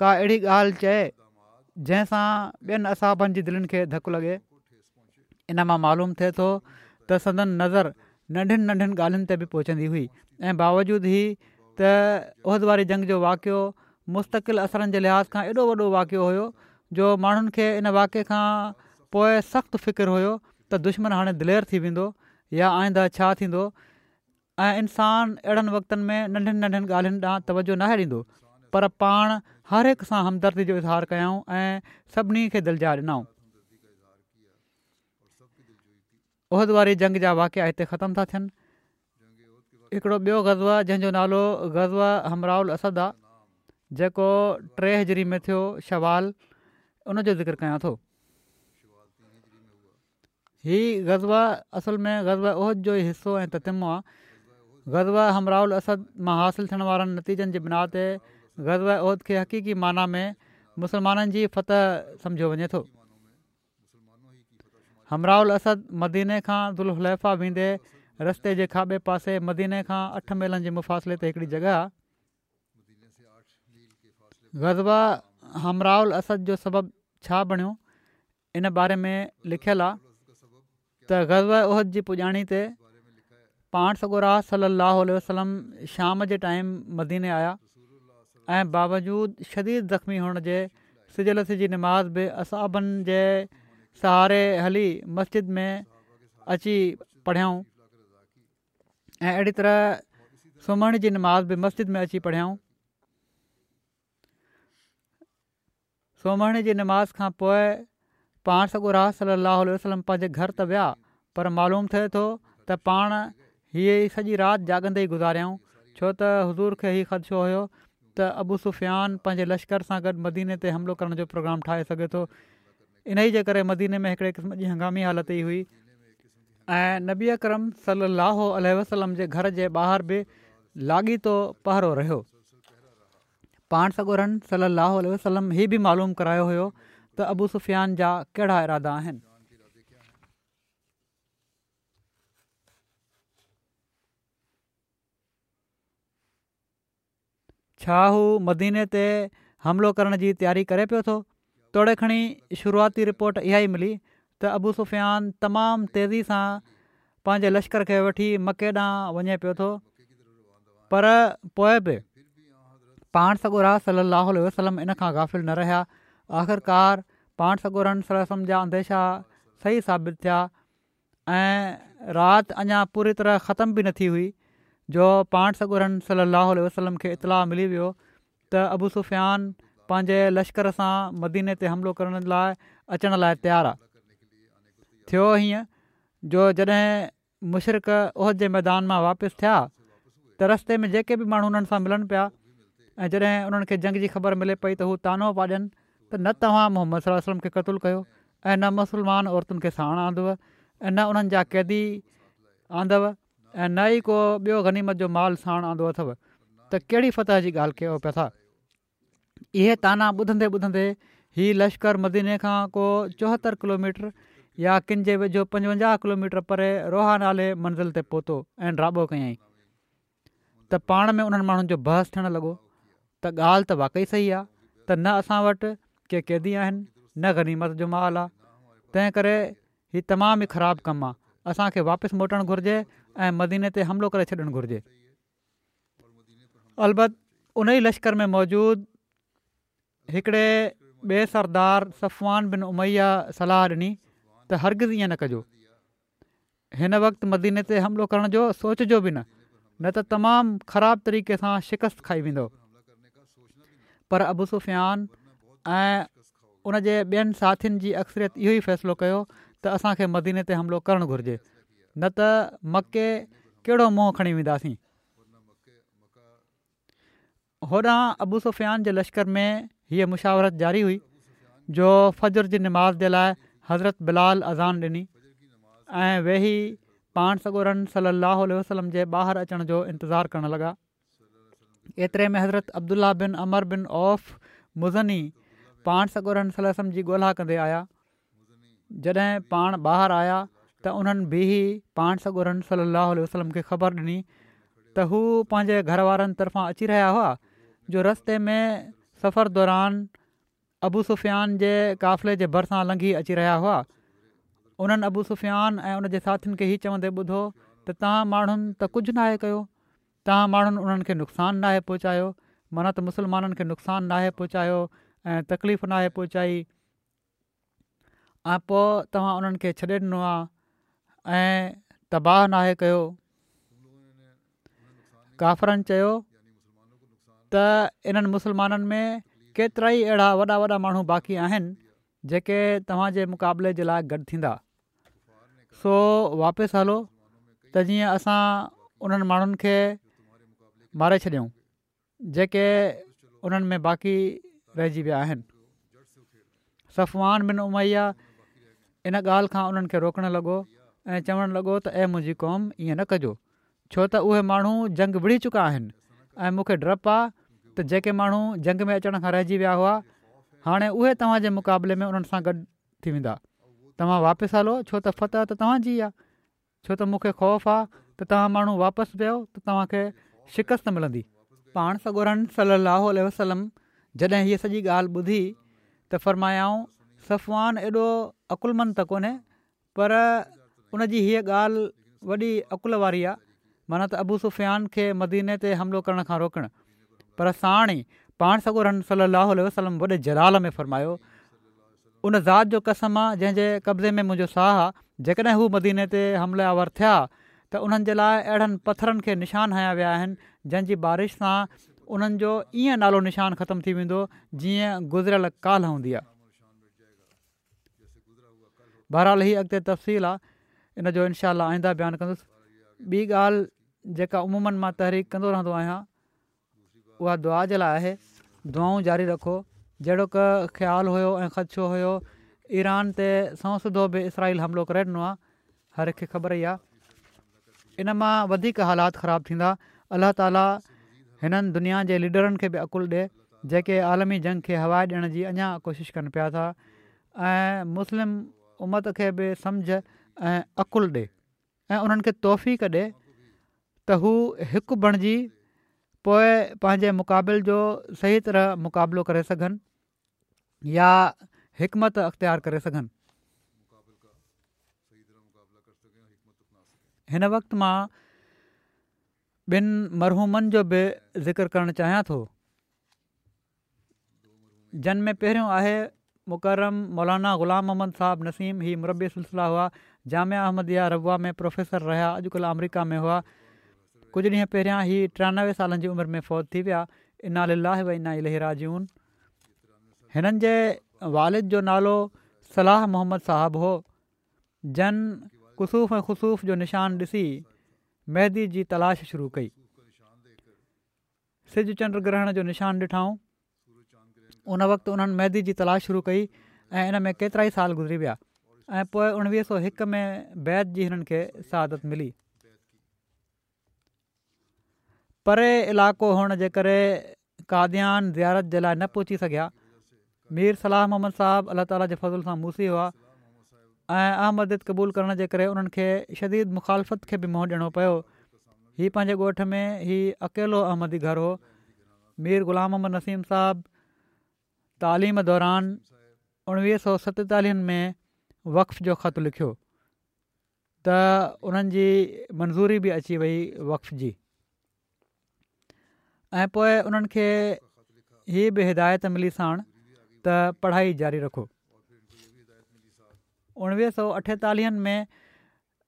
ڪا اهڙي ڳالهه چئي جنهن سان ٻين اصحابن جي دلين کي ڌڪ لڳي. ان مان معلوم ٿئي ٿو ته سندن نظر ننڍين ننڍين ڳالهين تي به پهچندي هئي ۽ باوجود هي ته احد واري جنگ جو واقعو مستقل اثرن جي لحاظ کان ايڏو وڏو واقعو هيو جو ماڻهن کي ان واقعي کان پوء سخت فڪر هيو ته دشمن هاڻي دلير ٿي ويندو يا آئنده ڇا ٿيندو ۽ انسان اهڙن وقتن ۾ ننڍين ننڍين ڳالهين ڏانهن توجهه ناهي ڏيندو پر پاڻ هر هڪ سان همدردي جو اظهار ڪيائون ۽ سڀني کي دلجاء ڏنائون. احد واري جنگ جا واقعا هتي ختم ٿا ٿين. هڪڙو ٻيو غزوه جنهن جو نالو غزوه حمراء الاسد آ جيڪو 3 هجري ۾ ٿيو شوال ان جو ذڪر ڪيان ٿو. هي غزوه اصل ۾ غزوه احد جو ئي حصو ۽ تتمو آهي. غزوه حمراء الاسد مان حاصل ٿيڻ وارن نتيجن جي بنا تي غزوه احد کي حقيقي معنيٰ ۾ مسلمانن جي فتح سمجهيو وڃي ٿو. حمراء الاسد مديني کان ذوالحليفه ويندي رستي جي کاٻي پاسي مديني کان اٺ ميلن جي مفاصلي تي هڪڙي جڳهه آهي. غزوه حمراء الاسد جو سبب ڇا بڻيو؟ ان باري ۾ لکيل آ ته غزوه احد جي پڄاڻي تي پاڻ سڳورا صلي الله عليه وسلم شام جي ٽائيم مديني آيا ۽ باوجود شديد زخمي هئڻ جي سج لٿي جي نماز به اصحابن جي سهاري هلي مسجد ۾ اچي پڙهيائون ۽ اهڙي طرح سومهڻي جي نماز به مسجد ۾ اچي پڙهيائون. سومهڻي جي نماز کان پوء پاڻ سڳورا صلّي اللّٰه عليه وسلّم پنهنجي گهر ته ويا پر معلوم ٿئي ٿو ته پاڻ هيء سڄي رات جاڳندي ئي گذاريائون ڇو ته حضور کي هي خدشو هيو ته ابو سفيان پنهنجي لشڪر سان گڏ مديني تي حملو ڪرڻ جو پروگرام ٺاهي سگهي ٿو انهي جي ڪري مديني ۾ هڪڙي قسم جي هنگامي حالت ئي هئي ۽ نبي اڪرم صلّي اللّٰه عليه وسلّم جي گهر جي ٻاهر به لاڳيتو پهرو رهيو. پاڻ سڳورن صلّي اللّٰه عليه وسلّم هي به معلوم ڪرايو هيو ته ابو سفيان جا ڪهڙا ارادا آهن. ڇا هو مديني تي حملو ڪرڻ جي تياري ڪري پيو ٿو؟ توڙي کڻي شروعاتي رپورٽ اها ئي ملي ته ابو سفيان تمام تيزي سان پنهنجي لشڪر کي وٺي مڪي ڏانهن وڃي پيو ٿو پر پوء به پاڻ سڳورا صلي الله عليه وسلم ان کان غافل نه رهيا آخرڪار پاڻ سڳورن صلي الله عليه وسلم جا انديشا صحيح ثابت ٿيا ۽ رات اڃا پوري طرح ختم به نه ٿي هئي جو پاڻ سڳورن صلي الله عليه وسلم کي اطلاع ملي ويو ته ابو سفيان پنهنجي لشڪر سان مديني تي حملو ڪرڻ لاء اچڻ لاء تيار آ. ٿيو هيئن جو جڏهن مشرڪ احد جي ميدان مان واپس ٿيا ته رستي ۾ جيڪي به ماڻهو انهن سان ملن پيا ۽ جڏهن انهن کي جنگ جي خبر ملي پئي ته هو طعنو پيا ڏين ته نه توهان محمد صلي الله عليه وسلم کي قتل ڪيو ۽ نه مسلمان عورتن کي ساڻ آندو ۽ نه انهن جا قيدي آندو ۽ نه ئي ڪو ٻيو غنيمت جو مال ساڻ آندو اٿو ته ڪهڙي فتح جي ڳالهه ڪيو پيا ٿا. اهي طعنا ٻڌندي ٻڌندي هي لشڪر مديني کان ڪو 74 ڪلوميٽر يا ڪن جي ويجهو 55 ڪلوميٽر پري روحا نالي منزل تي پهتو ۽ ڊاٻو ڪيائين. ته پاڻ ۾ انهن ماڻهن جو بحث ٿيڻ لڳو ته ڳالهه ته واقعي صحيح آ ته نه اسان وٽ ڪي قيدي آهن نه غنيمت جو مال آ تنهن ڪري هي تمام ئي خراب ڪم آ اسان کي واپس موٽڻ گهرجي ۽ مديني تي حملو ڪري ڇڏڻ گهرجي. البت انهي لشڪر ۾ موجود هڪڙي ٻئي سردار صفوان بن اميه صلاح ڏني ته هرگز ائين نه ڪجو. هن وقت مديني تي حملو ڪرڻ جو سوچجو به نه، نه ته تمام خراب طريقي سان شڪست کائي ويندؤ. پر ابو سفيان ۽ ان جي ٻين ساٿين جي اڪثريت اهو ئي فيصلو ڪيو ته اسان کي مديني تي حملو ڪرڻ گهرجي، نه ته مڪي ڪهڙو منهن کڻي وينداسين. هوڏانهن ابو سفيان جي لشڪر ۾ هيء مشاورت جاري هئي جو فجر جي نماز جي لاء حضرت بلال اذان ڏني ۽ ويهي پاڻ سڳورن صلي الله عليه وسلم جي ٻاهر اچڻ جو انتظار ڪرڻ لڳا. ايتري ۾ حضرت عبدالله بن عمرو بن عوف مزني پاڻ سڳورن صلي الله عليه وسلم جي ڳولها ڪندي آيا. جڏهن پاڻ ٻاهر آيا ته انهن بيهي پاڻ سڳورن صلّي اللّٰه عليه وسلّم کي خبر ڏني ته هو پنهنجي گهر وارن طرفان اچي رهيا هئا جو رستي ۾ سفر دوران ابو سفيان جي قافلي جي ڀرسان لنگهي اچي رهيا هئا. انهن ابو سفيان ۽ ان جي ساٿين کي هي چوندي ٻڌو ته توهان ماڻهن ته ڪجهه ناهي ڪيو، توهان ماڻهن انهن کي نقصان ناهي پهچايو معنيٰ ته مسلمانن کي نقصان ناهي پهچايو ۽ تڪليف ناهي پهچائي. ۽ پوء توهان انهن کي ڇڏي ڏنو آهي ۽ تباهه ناهي ڪيو. ڪافرن چيو ته انهن مسلمانن ۾ ڪيترائي اهڙا وڏا وڏا ماڻهو باقي آهن جيڪي توهان جي مقابلي جي لاء گڏ ٿيندا سو واپس هلو ته جيئن اسان انهن ماڻهن کي ماري ڇڏيون. جيڪي انهن ۾ باقي رهجي ويا آهن. صفوان بن اميه ان ڳالهه کان انهن کي روڪڻ لڳو ۽ چوڻ لڳو ته اي منهنجي قوم ائين نه ڪجو ڇو ته اهي ماڻهو جنگ وڙهي چڪا آهن ۽ مون کي ڊپ آ ته جيڪي ماڻهو جنگ ۾ اچڻ کان رهجي ويا هئا هاڻي اهي توهان جي مقابلي ۾ انهن سان گڏ ٿي ويندا توهان واپس هلو ڇو ته فتح ته توهان جي آ ڇو ته مون کي خوف آ ته توهان ماڻهو واپس ويؤ ته توهان کي شڪست ملندي. پاڻ سڳورن صلّي اللّٰه عليه وسلّم جڏهن هيء سڄي ڳالهه ٻڌي ته فرمايائون، صفوان ايڏو عقلمند ته ڪونهي پر ان جي هيء ڳالهه وڏي عقل واري آ، معنيٰ ته ابو سفيان کي مديني تي حملو ڪرڻ کان روڪڻ. پر ساڻ ئي پاڻ سڳورن صلّي اللّٰه عليه وسلّم وڏي جلال ۾ فرمايو، ان ذات جو قسم آ جنهن جي قبضي ۾ منهنجو ساهه آ، جيڪڏهن هو مديني تي حمله آور ٿيا ته انهن جي لاء اهڙن پٿرن کي نشان هنيا ويا آهن جن جي بارش سان انهن جو ائين نالو نشان ختم ٿي ويندو جيئن گذريل ڪالهه هوندي آ. بهرحال هي اڳتي تفصيل آ ان جو انشاء الله آئنده بيان ڪندس. ٻي ڳالهه جيڪا عموماً مان تحريڪ ڪندو رهندو آهيان اها دعا جي لاء آهي، دعائون جاري رکو، جهڙوڪ خيال هيو ۽ خدشو هيو، ايران تي سنئون سڌو به اسرائيل حملو ڪري ڏنو آهي، هر هڪ کي خبر ئي آهي، ان مان وڌيڪ حالات خراب ٿيندا، الله تعالي هنن دنيا جي ليڊرن کي به عقل ڏي، جيڪي عالمي جنگ کي هوا ڏيڻ جي اڃا ڪوشش ڪن پيا ٿا ۽ مسلم امت کي به سمجهه ۽ عقل ڏي. ۽ انهن کي توفيق ڏي ته هو هڪ بڻجي پوء پنهنجي مقابل جو صحيح طرح مقابلو ڪري سگهن يا حڪمت اختيار ڪري سگهن. هن وقت مان ٻن مرحومن جو به ذڪر ڪرڻ چاهيان ٿو. جن ۾ پهريون آهي مڪرم مولانا غلام محمد صاحب نسيم هي مربي سلسله هئا جامعه احمديه ربوه ۾ پروفيسر رهيا اڄڪلهه آمريڪا ۾ هئا ڪجهه ڏينهن پهريان هي 93 سالن جي عمر ۾ فوت ٿي ويا انا لله و انا اليه راجعون هنن جي والد جو نالو صلاح محمد صاحب هو جن ڪسوف ۽ خسوف جو نشان ڏسي مهدي جي تلاش شروع ڪئي سج چنڊ گرهڻ جو نشان ڏٺائون. ان وقت انهن مهدي جي تلاش شروع ڪئي ۽ ان ۾ ڪيترائي سال گذري ويا ۽ پوء 1901 ۾ بيعت جي هنن کي سعادت ملي. پري علائقو هئڻ جي ڪري قاديان زيارت جي لاء نه پهچي سگهيا. مير صلاح محمد صاحب الله تعالي جي فضل سان موصي هئا ۽ احمديت قبول ڪرڻ جي ڪري انهن کي شديد مخالفت کي به منهن ڏيڻو پيو. هي پنهنجي ڳوٺ ۾ هي اڪيلو احمدي گهر هو. مير غلام محمد نسيم صاحب تعليم دوران 1947 ۾ وقف جو خط لکيو ته انهن جي منظوري به اچي وئي وقف جي. ۽ پوء انهن کي هي به هدايت ملي ساڻ ته پڙهائي جاري رکو. 1948 ۾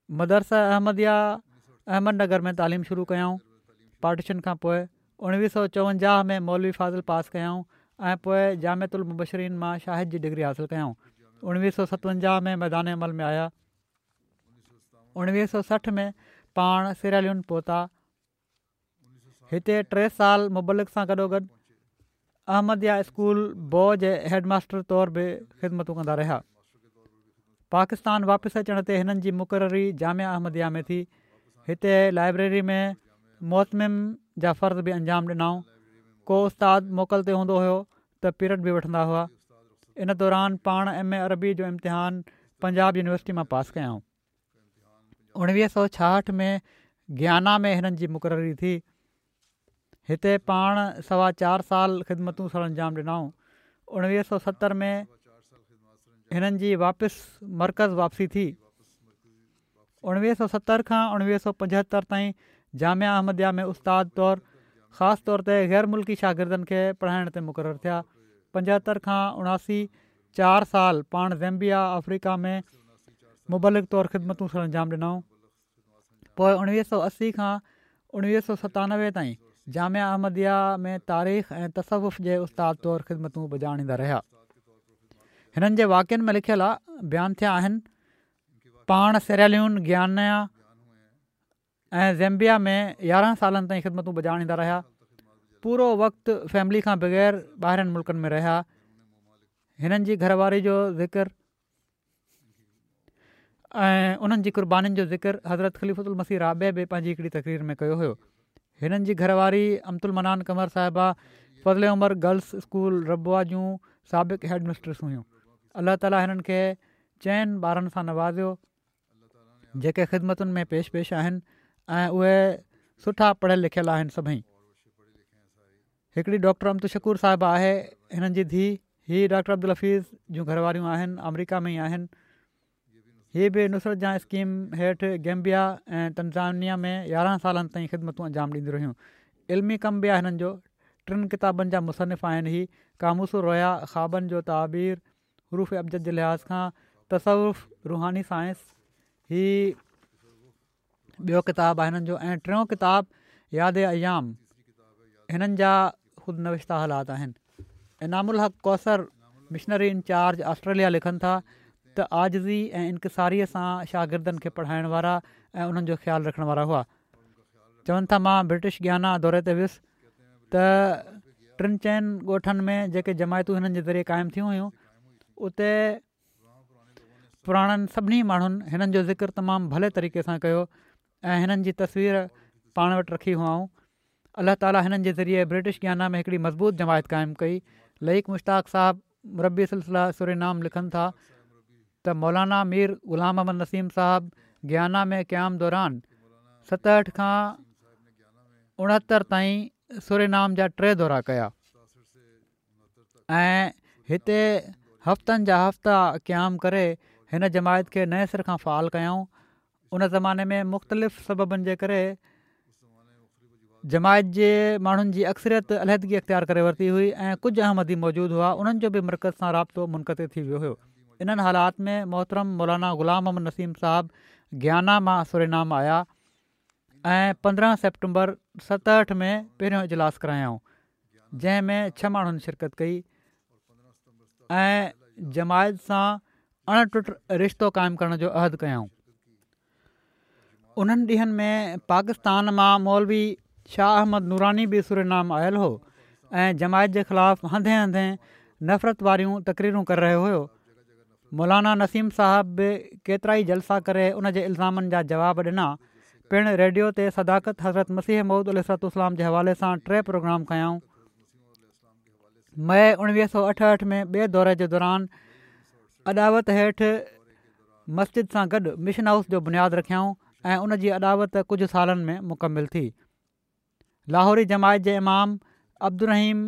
مدرسه احمديه احمد نگر ۾ تعليم شروع ڪيائون. پارٽيشن کان پوء 1954 ۾ مولوي فاضل پاس ڪيائون ۽ پوء جامعة المبشرين مان شاهد جي ڊگري حاصل ڪيائون. 1957 ۾ ميدان عمل ۾ آيا. 1960 ۾ پاڻ سيراليون پهتا. هتي ٽي سال مبلغ سان گڏوگڏ احمديه اسڪول بو جي هيڊ ماستر طور به خدمتون ڪندا رهيا. پاڪستان واپس اچڻ تي هنن جي مقرري جامعه احمديه ۾ ٿي. هتي لائبريري ۾ مهتمم جا فرض به انجام ڏنائون. ڪو استاد موڪل تي هوندو هيو ته پيرڊ به وٺندا هئا. ان دوران پاڻ ايم اي عربي جو امتحان پنجاب يونيورسٽي مان پاس ڪيائون. 1966 ۾ گيانا ۾ هنن جي مقرري ٿي. هتي پاڻ سوا چار سال خدمتون سرانجام ڏنائون. 1970 ۾ هنن جي واپس مرڪز واپسي ٿي. 1970 کان 1975 تائين جامعه احمديه ۾ استاد طور خاص طور تي غير ملڪي شاگردن کي پڙهائڻ تي مقرر ٿيا. 75 کان 79 چار سال پاڻ زيمبيا، آفريڪا، ۾ مبلغ طور خدمتون سرانجام ڏنائون. پوء 1980 کان 1997 تائين جامعه احمديه ۾ تاريخ ۽ تصوف جي استاد طور خدمتون بجا آڻيندا رهيا. هنن جي واقعن ۾ لکيل آ بيان ٿيا آهن. پاڻ سيراليون، گيانا ۽ زيمبيا ۾ 11 سالن تائين خدمتون بجا آڻيندا رهيا. پورو وقت فيملي کان بغير ٻاهرين ملڪن ۾ رهيا. هنن جي گهر واري جو ذڪر ۽ انهن جي قربانين جو ذڪر حضرت خليفة المسيح رابع به پنهنجي هڪڙي تقرير ۾ ڪيو هيو. هنن جي گهر واري امة المنان قمر صاحبه فضل عمر گرلس اسڪول ربوه جون سابق هيڊ مسٽرس هيون. الله تعالي هنن کي چئن ٻارن سان نوازيو. جيڪي خدمتن ۾ پيش پيش آهن ۽ اهي سٺا پڙهيل لکيل آهن سڀئي. هڪڙي ڊاڪٽر امة الشڪور صاحبه آهي هنن جي ڌيء هي ڊاڪٽر عبدالحفيظ جون گهر واريون آهن آمريڪا ۾ ئي آهن. هي به نصرت جهان اسڪيم هيٺ گيمبيا ۽ تنزانيا ۾ 11 سالن تائين خدمتون انجام ڏينديون رهيون. علمي ڪم به آهي هنن جو. ٽن ڪتابن جا مصنف آهن هي قاموس الرؤيا، خوابن جو تعبير، حروف ابجد جي لحاظ کان تصوف روحاني سائنس هي ٻيو ڪتاب آهي هنن جو ۽ ٽيون ڪتاب ياد ايام هنن جا خود نوشته حالات آهن. انعام الحق ڪوثر مشنري انچارج آسٽريليا لکن ٿا ته عاجزي ۽ انڪساريء سان شاگردن کي پڙهائڻ وارا ۽ انهن جو خيال رکڻ وارا هئا. چون ٿا مان برٽش گيانا دوري تي ويس ته ٽن چئن ڳوٺن ۾ جيڪي جماعتون هنن جي ذريعي قائم ٿيون هيون اتي پراڻن سڀني ماڻهن هنن جو ذڪر تمام ڀلي طريقي سان ڪيو ۽ هنن جي تصوير پاڻ وٽ رکي هئائون الله تعالي هنن جي ذريعي برٽش گيانا ۾ هڪڙي مضبوط جماعت قائم ڪئي لئيق مشتاق صاحب مربي سلسله سورينام لکن ٿا ته مولانا مير غلام احمد نسيم صاحب گيانا ۾ قيام دوران 67 کان 69 تائين سورينام جا ٽي دورا ڪيا ۽ هتي هفتن جا هفتا قيام ڪري هن جماعت کي نئين سر کان فعال ڪيائون ان زماني ۾ مختلف سببن جي ڪري جماعت جي ماڻهن جي اڪثريت علحدگي اختيار ڪري ورتي هئي ۽ ڪجهه احمدي موجود هئا انهن جو به مرڪز سان رابطو منقطع ٿي ويو هيو انهن حالات ۾ محترم مولانا غلام محمد نسيم صاحب گيانا مان سورينام آيا ۽ 15 سيپٽمبر 67 ۾ پهريون اجلاس ڪرايائون جنهن ۾ ڇهه ماڻهن شرڪت ڪئي ۽ جماعت سان اڻ ٽٽ رشتو قائم ڪرڻ جو عهد ڪيائون. انهن ڏينهن ۾ پاڪستان مان مولوي شاهه احمد نوراني به سورينام آيل هو ۽ جماعت جي خلاف هنڌين هنڌين نفرت واريون تقريرون ڪري رهيو هيو. مولانا نسيم صاحب به ڪيترائي جلسا ڪري ان جي الزامن جا جواب ڏنا. پڻ ريڊيو تي صداقت حضرت مسيح موعود عليه الصلوة والسلام جي حوالي سان ٽي پروگرام ڪيائون. مئي 1968 ۾ ٻئي دوري جي دوران اڏاوت هيٺ مسجد سان گڏ مشن هائوس جو بنياد رکيائون ۽ ان جي اڏاوت ڪجهه سالن ۾ مڪمل ٿي. لاهوري جماعت جي امام عبدالرحيم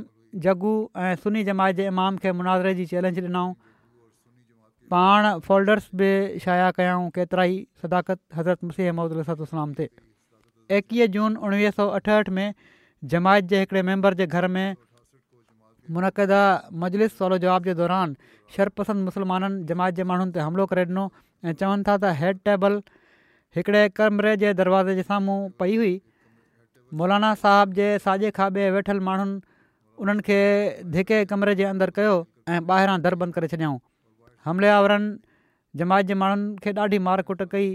جگو ۽ سني جماعت جي امام کي مناظري جي چئلينج ڏنائون. پاڻ فولڊرس به شايع ڪيائون ڪيترائي صداقت حضرت مسيح موعود عليه الصلوة والسلام تي. 21 جون 1968 ۾ جماعت جي هڪڙي ميمبر جي گهر ۾ منعقده مجلس سوال و جواب جي دوران شرپسند مسلمانن جماعت جي ماڻهن تي حملو ڪري ڏنو ۽ چون ٿا ته هيڊ ٽيبل هڪڙي ڪمري جي دروازي جي سامهون پئي هئي. مولانا صاحب جي ساڄي کاٻي ويٺل ماڻهن انهن کي ڌڪي ڪمري جي اندر ڪيو ۽ ٻاهران در بند ڪري ڇڏيائون. حملي آورن جماعت جي ماڻهن کي ڏاڍي مار ڪٽ ڪئي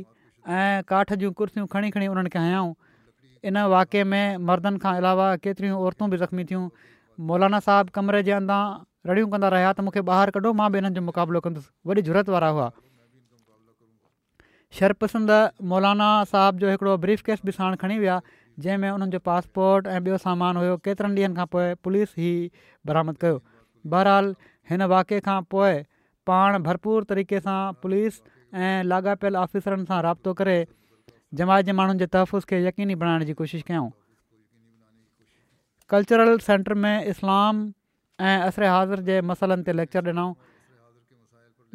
۽ ڪاٺ جون ڪرسيون کڻي کڻي انهن کي هنيائون. ان واقعي ۾ مردن کان علاوه ڪيتريون عورتون به زخمي ٿيون. مولانا صاحب ڪمري جي اندان رڙيون ڪندا رهيا ته مون کي ٻاهر ڪڍو مان به انهن جو مقابلو ڪندس وڏي جرئت وارا هئا. شرپسند مولانا صاحب جو هڪڙو بريف ڪيس به ساڻ کڻي ويا جنهن ۾ انهن جو پاسپورٽ ۽ ٻيو سامان هيو ڪيترن ڏينهن کان پوء پوليس هي برآمد ڪيو بهرحال هن واقعي کان پوء پاڻ ڀرپور طريقي سان پوليس ۽ لاڳاپيل آفيسرن سان رابطو ڪري جماعت جي ماڻهن جي تحفظ کي يقيني بڻائڻ جي ڪوشش ڪيائون ڪلچرل سينٽر ۾ اسلام ۽ عصر حاضر جي مسئلن تي ليڪچر ڏنائون.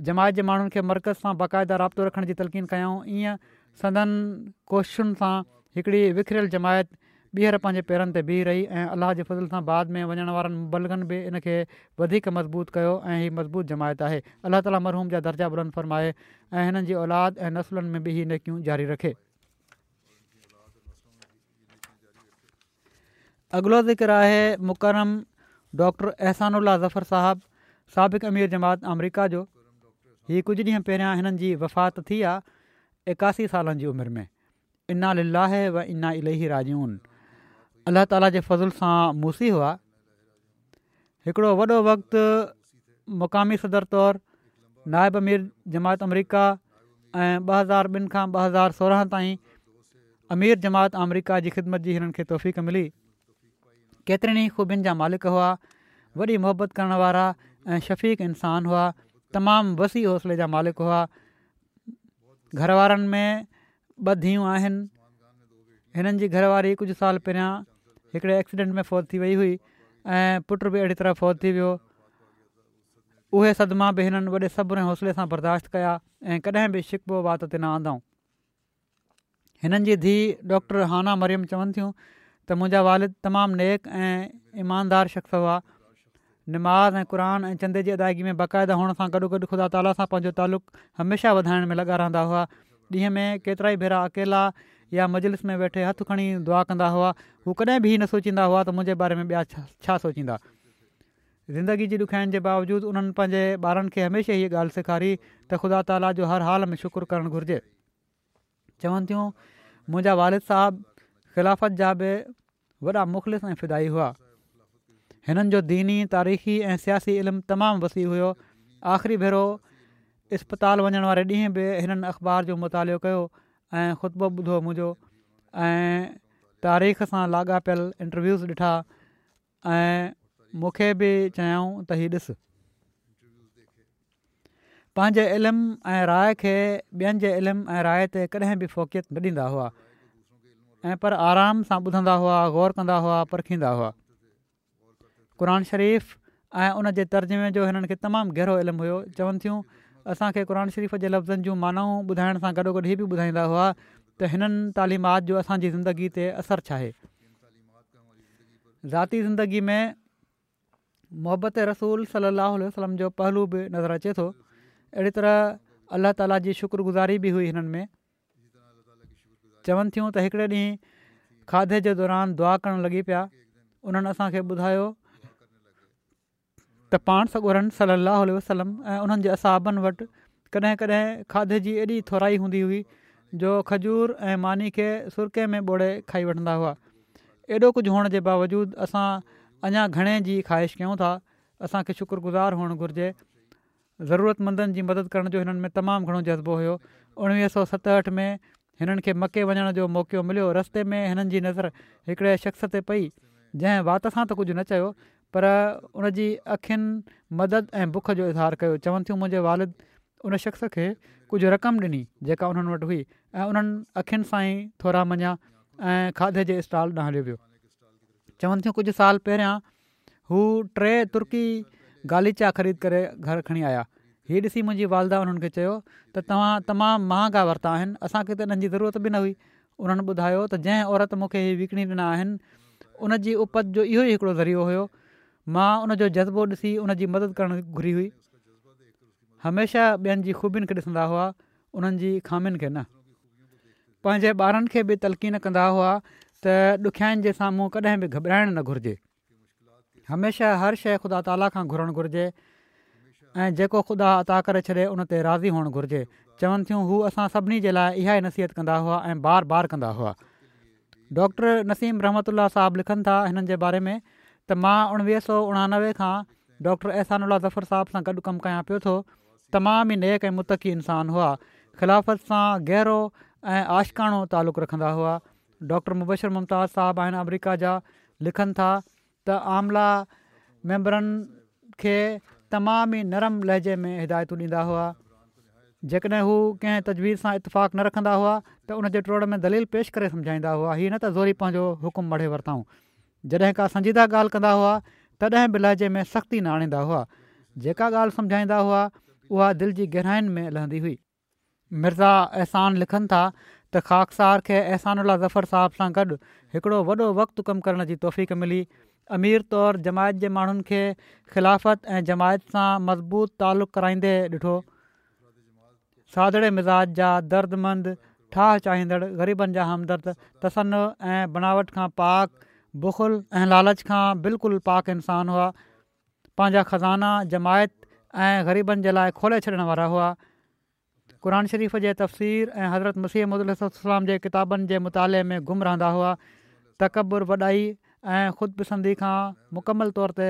جماعت جي ماڻهن کي مرڪز سان باقاعده رابطو رکڻ جي تلقين ڪيائون. ايئن سندن ڪوششن سان هڪڙي وکريل جماعت ٻيهر پنهنجي پيرن تي بيهي رهي ۽ الله جي فضل سان بعد ۾ وڃڻ وارن مبلغن به ان کي وڌيڪ مضبوط ڪيو ۽ هي مضبوط جماعت آهي. الله تعالي مرحوم جا درجا بلند فرمائي ۽ هنن جي اولاد ۽ نسلن ۾ به هي نيڪيون جاري رکي. اڳلو ذڪر آهي مڪرم ڊاڪٽر احسان الله ظفر صاحب سابق امير جماعت آمريڪا جو هي ڪجهه ڏينهن پهريان هنن جي وفات ٿي آ 81 سالن جي عمر ۾ انا لله و انا اليه راجعون الله تعالي جي فضل سان موصي هئا هڪڙو وڏو وقت مقامي صدر طور نائب امير جماعت آمريڪا ۽ 2002 کان 2016 تائين امير جماعت آمريڪا جي خدمت جي هنن کي توفيق ملي. ڪيترين ئي خوبين جا مالڪ هئا. وڏي محبت ڪرڻ وارا ۽ شفيق انسان هئا. تمام وسيع حوصلي جا مالڪ هئا. گهر وارن ۾ ٻه ڌيئون آهن. هنن جي گهر واري ڪجهه سال پهريان هڪڙي ايڪسيڊنٽ ۾ فوت ٿي وئي هئي ۽ پٽ به اهڙي طرح فوت ٿي ويو. اهي صدما به هنن وڏي صبر ۽ حوصلي سان برداشت ڪيا ۽ ڪڏهن به شڪوو وات تي نه آندائون. هنن جي ڌيء ڊاڪٽر هانا مريم چون ٿيون ته منهنجا والد تمام نيڪ ۽ ايماندار شخص هئا. نماز ۽ قرآن ۽ چندي جي ادائگي ۾ باقاعده هئڻ سان گڏوگڏ خدا تعاليٰ سان پنهنجو تعلق هميشه وڌائڻ ۾ لڳا رهندا هئا. ڏينهن ۾ ڪيترائي ڀيرا اڪيلا يا مجلس ۾ ويٺي هٿ کڻي دعا ڪندا هئا. هو ڪڏهن به هي نه سوچيندا هئا ته منهنجي باري ۾ ٻيا ڇا سوچيندا. زندگي جي ڏکيائين جي باوجود انهن پنهنجي ٻارن کي هميشه هيء ڳالهه سيکاري ته خدا تعاليٰ جو هر حال ۾ شڪر ڪرڻ گهرجي. چون ٿيون، منهنجا والد صاحب خلافت جا به وڏا مخلص ۽ فدائي هئا. هنن جو ديني، تاريخي ۽ سياسي علم تمام وسيع هيو. آخري ڀيرو اسپتال وڃڻ واري ڏينهن به هنن اخبار جو مطالعو ڪيو ۽ خطبو ٻڌو منهنجو ۽ تاريخ سان لاڳاپيل انٽرويوز ڏٺا ۽ مون کي به چيائون ته هي ڏس. پنهنجي علم ۽ راء کي ٻين جي علم ۽ راء تي ڪڏهن به فوقيت نه ڏيندا هئا ۽ پر آرام سان ٻڌندا هئا، غور ڪندا هئا، پرکيندا هئا. قرآن شريف ۽ ان جي ترجمي جو هنن کي تمام گهرو علم هيو. چون ٿيون، اسان کي قرآن شريف جي لفظن جون معنائون ٻڌائڻ سان گڏوگڏ هي به ٻڌائيندا هئا ته هنن تعليمات جو اسان جي زندگي تي اثر ڇاهي. ذاتي زندگي ۾ محبت رسول صلي الله عليه وسلم جو پهلو به نظر اچي ٿو اهڙي طرح الله تعالي جي شڪر گذاري به هئي هنن ۾ چون ٿيون ته هڪڙي ڏينهن کاڌي جي دوران دعا ڪرڻ لڳي پيا انهن اسان کي ٻڌايو ته پاڻ سڳورن صلّي اللّٰه عليه وسلّم ۽ انهن جي اصحابن وٽ ڪڏهن ڪڏهن کاڌي جي ايڏي ٿورائي هوندي هئي جو کجور ۽ ماني کي سرڪي ۾ ٻوڙي کائي وٺندا هئا. ايڏو ڪجهه هئڻ جي باوجود اسان اڃا گهڻي جي خواهش ڪيون ٿا، اسان کي شڪر گذار هئڻ گهرجي. ضرورتمندن جي مدد ڪرڻ جو هنن ۾ تمام گهڻو جذبو هيو. 1967 ۾ هنن کي مڪي وڃڻ جو موقعو مليو. رستي ۾ هنن جي نظر هڪڙي شخص تي پئي، جنهن وات سان ته ڪجهه نه چيو پر ان جي اکين مدد ۽ بک جو اظهار ڪيو. چون ٿيون منهنجي والد ان شخص کي ڪجهه رقم ڏني جيڪا انهن وٽ هئي ۽ انهن اکين سان ئي ٿورا مڃيا ۽ کاڌي جي اسٽال ڏانهن هليو ويو. چون ٿيون ڪجهه سال پهريان هو ٽي ترڪي غاليچا خريد ڪري گهر کڻي آيا. هي ڏسي منهنجي والده انهن کي چيو ته توهان تمام مهانگا ورتا آهن اسان کي ته انهن جي ضرورت به نه هئي. انهن ٻڌايو ته جنهن عورت مون کي هي وڪڻي ڏنا آهن ان جي اپت جو اهو ئي هڪڙو ذريعو هيو. مان ان جو جذبو ڏسي ان جي مدد ڪرڻ گهري هئي. هميشه ٻين جي خوبين کي ڏسندا هئا، انهن جي خامين کي نه. پنهنجي ٻارن کي به تلقين ڪندا هئا ته ڏکيائين جي سامهون ڪڏهن به گهٻرائڻ نه گهرجي. هميشه هر شيء خدا تعاليٰ کان گهرڻ گهرجي ۽ جيڪو خدا عطا ڪري ڇڏي ان تي راضي هئڻ گهرجي. چون ٿيون هو اسان سڀني جي لاء اها ئي نصيحت ڪندا هئا ۽ بار بار ڪندا هئا. ڊاڪٽر نسيم رحمت الله صاحب لکن ٿا هنن جي باري ۾ ته مان 1989 کان ڊاڪٽر احسان الله ظفر صاحب سان گڏ ڪم ڪيان پيو ٿو تمام ئي نيڪ ۽ متقي انسان هئا خلافت سان گهرو ۽ عاشقاڻو تعلق رکندا هئا ڊاڪٽر مبشر ممتاز صاحب آهن آمريڪا جا لکن ٿا ته عامله ميمبرن کي تمام ئي نرم لهجي ۾ هدايتون ڏيندا هئا. جيڪڏهن هو ڪنهن تجويز سان اتفاق نه رکندا هئا ته ان جي ٽوڙ ۾ دليل پيش ڪري سمجهائيندا هئا، هي نه ته زوري پنهنجو حڪم مڙهي ورتائون. جڏهن ڪا سنجيده ڳالهه ڪندا هئا تڏهن به لهجي ۾ سختي نه آڻيندا هئا. جيڪا ڳالهه سمجهائيندا هئا اها دل جي گهراين ۾ لهندي هئي. مرزا احسان لکن ٿا ته خاڪسار کي احسان الله ظفر صاحب سان گڏ هڪڙو وڏو وقت ڪم ڪرڻ جي توفيق ملي. امير طور جماعت جي ماڻهن کي خلافت ۽ جماعت سان مضبوط تعلق ڪرائيندي ڏٺو. سادڙي مزاج جا دردمند، ٺاهه چاهيندڙ، غريبن جا همدرد، تصنع ۽ بناوٽ کان پاڪ، بخل ۽ لالچ کان بلڪل پاڪ انسان هئا. پنهنجا خزانا جماعت ۽ غريبن جي لاء کولي ڇڏڻ وارا هئا. قرآن شريف جي تفسير ۽ حضرت مسيح موعود عليه الصلوة والسلام جي ڪتابن جي مطالعي ۾ گم رهندا هئا. تڪبر، وڏائي ۽ خود پسندي کان مڪمل طور تي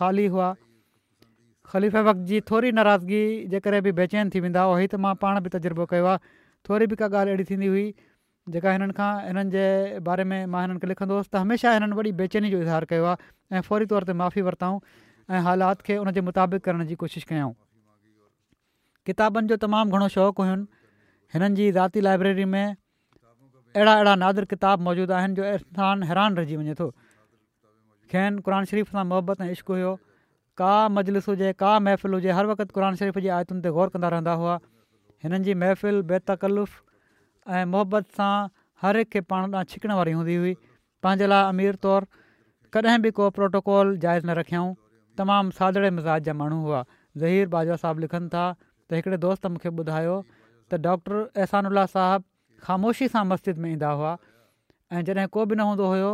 خالي هئا. خليفه وقت جي ٿوري ناراضگي جي ڪري به بيچين ٿي ويندا هئا. هي ته مان پاڻ به تجربو ڪيو آهي. ٿوري به ڪا ڳالهه اهڙي ٿيندي هئي جيڪا هنن کان هنن جي باري ۾ مان هنن کي لکندو هوس ته هميشه هنن وڏي بيچيني جو اظهار ڪيو آهي ۽ فوري طور تي معافي ورتائون ۽ حالات کي ان جي مطابق ڪرڻ جي ڪوشش ڪيائون. ڪتابن جو تمام گهڻو شوق هين. هنن جي ذاتي لائبريري ۾ اهڙا اهڙا نادر ڪتاب موجود آهن جو انسان حيران رهجي وڃي ٿو. کين قرآن شريف سان محبت ۽ عشق هيو. ڪا مجلس هجي، ڪا محفل هجي، هر وقت قرآن شريف جي آيتن تي غور ڪندا رهندا هئا. هنن جي محفل بي تڪلف ۽ محبت سان هر هڪ کي پاڻ ڏانهن ڇڪڻ واري هوندي هئي. پنهنجي لاء امير طور ڪڏهن به ڪو پروٽوڪول جائز نه رکيائون. تمام سادڙي مزاج جا ماڻهو هئا. ظهير باجوه صاحب لکن ٿا ته هڪڙي دوست مون کي ٻڌايو ته ڊاڪٽر احسان الله صاحب خاموشي سان مسجد ۾ ايندا هئا ۽ جڏهن ڪو به نه هوندو هيو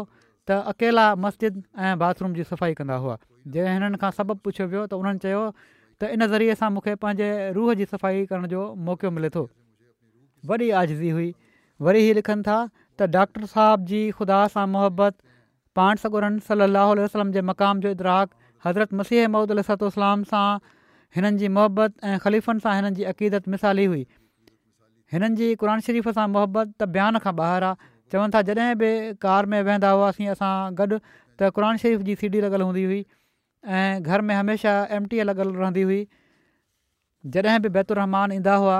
ته اڪيلا مسجد ۽ باٿ روم جي صفائي ڪندا هئا. جڏهن هنن کان سبب پڇيو ويو ته انهن چيو ته ان ذريعي سان مون کي پنهنجي روح جي صفائي ڪرڻ جو موقعو ملي ٿو. وڏي عاجزي هئي. وري هي لکن ٿا ته ڊاڪٽر صاحب جي خدا سان محبت، پاڻ سڳورن صلّي اللّٰه عليه وسلّم جي مقام جو ادراڪ، حضرت مسيح موعود عليه الصلوة والسلام سان هنن جي محبت ۽ خليفن سان هنن جي عقيدت مثالي هئي. هنن جي قرآن شريف سان محبت ته بيان کان ٻاهر آ. چون ٿا جڏهن به ڪار ۾ ويهندا هئاسين اسان گڏ ته قرآن شريف جي سي ڊي لڳل هوندي هئي ۽ گهر ۾ هميشه ايم ٽي اي لڳل رهندي هئي. جڏهن به بيت الرحمان ايندا هئا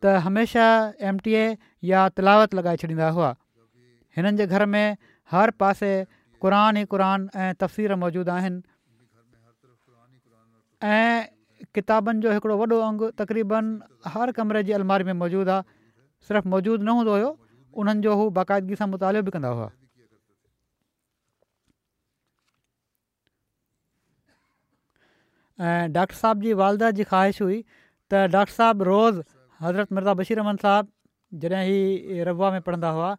ته هميشه ايم ٽي اي يا تلاوت لڳائي ڇڏيندا هئا. هنن جي گهر ۾ هر پاسي قرآن ئي قرآن ۽ تفسير موجود آهن ۽ ڪتابن جو هڪڙو وڏو انگ تقريبن هر ڪمري جي الماري ۾ موجود آهي. صرف موجود نه هوندو هيو انهن جو هو باقاعدگي سان مطالعو به ڪندا هئا. ۽ ڊاڪٽر صاحب جي والده جي خواهش هئي ته ڊاڪٽر صاحب روز حضرت مرزا بشير احمد صاحب جڏهن هي ربوه ۾ پڙهندا هئا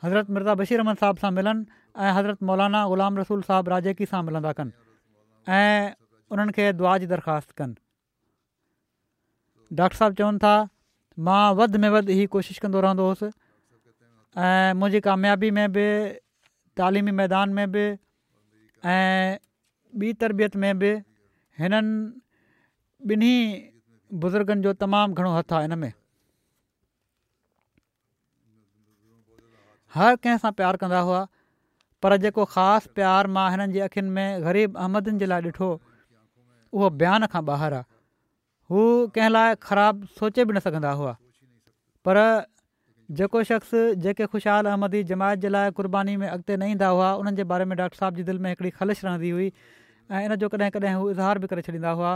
حضرت مرزا بشير احمد صاحب سان ملن ۽ حضرت مولانا غلام رسول صاحب راجيڪي سان ملندا ڪن ۽ انهن کي دعا جي درخواست ڪن ڊاڪٽر صاحب چون ٿا مان وڌ ۾ وڌ هي ڪوشش ڪندو رهندو هوس ۽ منهنجي ڪاميابي ۾ به تعليمي ميدان ۾ به ۽ ٻي تربيت ۾ به هنن ٻنهي بزرگن جو تمام گهڻو هٿ آهي ان ۾. هر ڪنهن سان پيار ڪندا هئا پر جيڪو خاص پيار مان هنن جي اکين ۾ غريب احمدين جي لاء ڏٺو اهو بيان کان ٻاهر آهي. هو ڪنهن لاء خراب سوچي به نه سگهندا هئا پر جيڪو شخص جيڪي خوشحال احمدي جماعت جي لاء قرباني ۾ اڳتي نه ايندا هئا انهن جي باري ۾ ڊاڪٽر صاحب جي دل ۾ هڪڙي خلش رهندي هئي ۽ ان جو ڪڏهن ڪڏهن هو اظهار به ڪري ڇڏيندا هئا.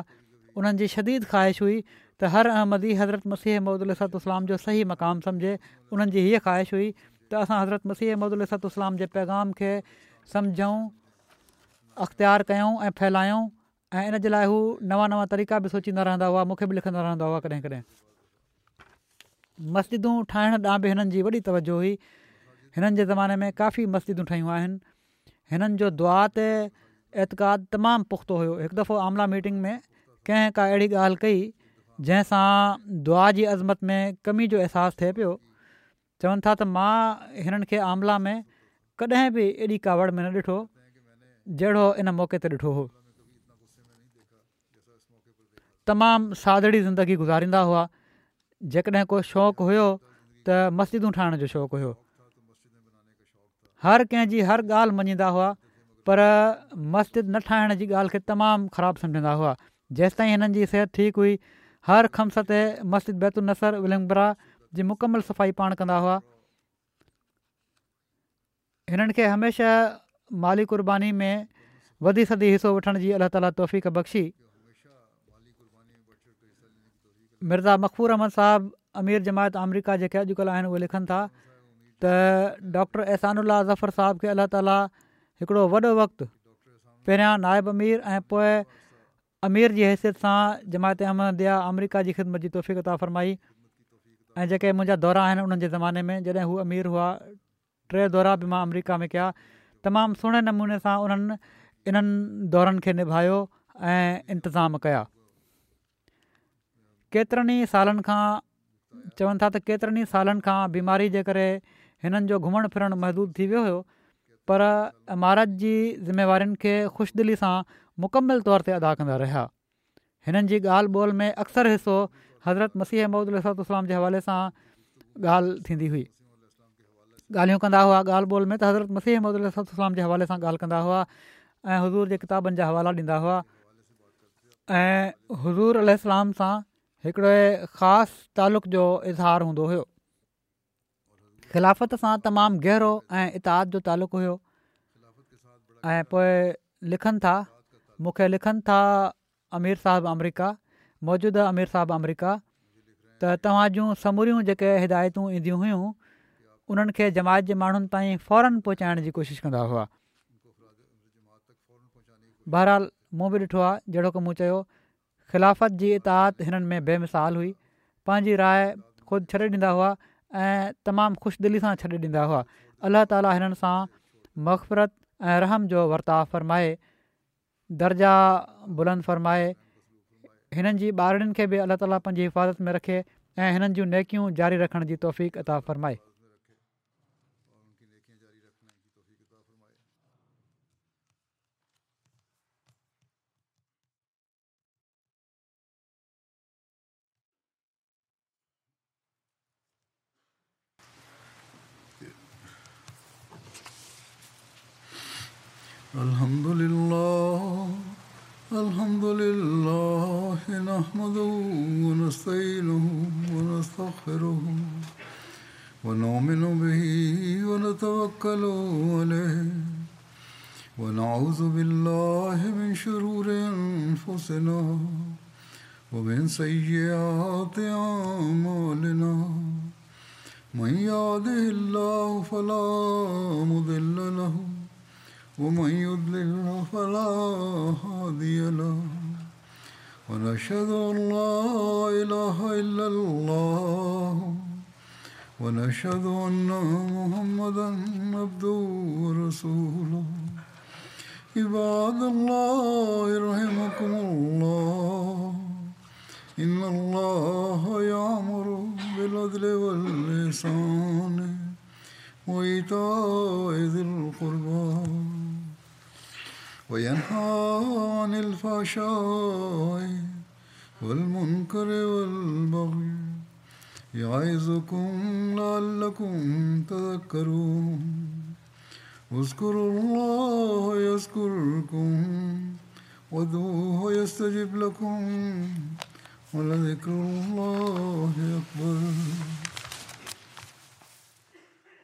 انهن جي شديد خواهش هئي ته هر احمدي حضرت مسيح موعود عليه الصلوة والسلام جو صحيح مقام سمجهي انهن جي هيء خواهش هئي ته اسان حضرت مسيح موعود عليه الصلوة والسلام جي پيغام کي سمجهون، اختيار ڪيون ۽ ڦهلايون ۽ ان جي لاء هو نوان نوان طريقا به سوچيندا رهندا هئا، مون کي به لکندا رهندا هئا ڪڏهن ڪڏهن. مسجدون ٺاهڻ ڏانهن به هنن جي وڏي توجه هئي. هنن جي زماني ۾ ڪافي مسجدون ٺهيون آهن. هنن جو دعا تي اعتقاد تمام پختو هيو. هڪ دفعو عامله ميٽنگ ۾ ڪنهن ڪا اهڙي ڳالهه ڪئي جنهن سان دعا جي عظمت ۾ ڪمي جو احساس ٿئي پيو. چون ٿا ته مان هنن کي عامله ۾ ڪڏهن به ايڏي ڪاوڙ ۾ نه ڏٺو جهڙو ان موقعي تي ڏٺو هو. تمام سادڙي زندگي گذاريندا هئا. جيڪڏهن ڪو شوق هيو ته مسجدون ٺاهڻ جو شوق هيو. هر ڪنهن جي هر ڳالهه مڃيندا هئا پر مسجد نه ٺاهڻ جي ڳالهه کي تمام خراب سمجهندا هئا. جيستائين هنن جي صحت ٺيڪ هئي هر خمس تي مسجد بيت النصر ولنگبرا جي مڪمل صفائي پاڻ ڪندا هئا. هنن کي هميشه مالي قرباني ۾ وڌي سڌي حصو وٺڻ جي الله تعالي توفيق بخشي. مرزا مغفور احمد صاحب امير جماعت آمريڪا جيڪي اڄڪلهه آهن اهي لکن ٿا ته ڊاڪٽر احسان الله ظفر صاحب کي الله تعالي هڪڙو وڏو وقت پهريان نائب امير ۽ پوء امير جي حيثيت سان جماعت احمديه آمريڪا جي خدمت جي توفيق عطا فرمائي ۽ جيڪي منهنجا دورا آهن انهن جي زماني ۾ جڏهن هو امير هئا ٽي دورا به مان آمريڪا ۾ ڪيا تمام سهڻي نموني سان انهن انهن دورن کي نڀايو ۽ انتظام ڪيا. ڪيترن ئي سالن کان چون ٿا ته ڪيترن ئي سالن کان بيماري جي ڪري هنن جو گهمڻ ڦرڻ محدود ٿي ويو هيو پر امارت جي ذميوارين کي خوش دلي سان مڪمل طور تي ادا ڪندا رهيا. هنن جي ڳالهه ٻولهه ۾ اڪثر حصو حضرت مسيح موعود عليه الصلوة والسلام جي حوالي سان ڳالهه ٿيندي هئي. ڳالهيون ڪندا هئا ڳالهه ٻولهه ۾ ته حضرت مسيح موعود عليه الصلوة والسلام جي حوالي سان ڳالهه ڪندا هئا ۽ حضور جي ڪتابن جا حوالا ڏيندا هئا ۽ حضور عليه السلام سان هڪڙي خاص تعلق جو اظهار هوندو هيو. خلافت سان تمام گهرو ۽ اطاعت جو تعلق هيو ۽ پوء لکن ٿا مون کي لکن ٿا امير صاحب آمريڪا موجوده امير صاحب آمريڪا ته توهان جون سموريون جيڪي هدايتون اينديون هيون انهن کي جماعت جي ماڻهن تائين فورن پهچائڻ جي ڪوشش ڪندا هئا بهرحال مون به ڏٺو آهي جهڙوڪ مون چيو خلافت جي اطاعت هنن ۾ بي مثال هئي. پنهنجي راء خود ڇڏي ڏيندا هئا ۽ تمام خوش دلي سان ڇڏي ڏيندا هئا. الله تعالي هنن سان مغفرت ۽ رحم جو ورتاء فرمائي درجا بلند فرمائي. هنن جي ٻارڙين کي به الله تعالي پنهنجي حفاظت ۾ رکي ۽ هنن جون نيڪيون جاري رکڻ جي توفيق عطا فرمائي. الحمد لله الحمد لله نحمده ونستعينه ونستغفره ونؤمن به ونتوكل عليه ونعوذ بالله من شرور أنفسنا ومن سيئات أعمالنا من يهده الله فلا مضل له ومن يضلل فلا هادي له ونشهد أن لا إله إلا الله ونشهد أن محمدا عبده ورسوله عباد الله رحمكم الله إن الله يأمر بالعدل والإحسان وإيتاء ذي القربى وينهى عن الفحشاء والمنكر والبغي يعظكم لعلكم تذكرون اذكروا الله يذكركم وادعوه يستجب لكم ولذڪر الله اڪبر.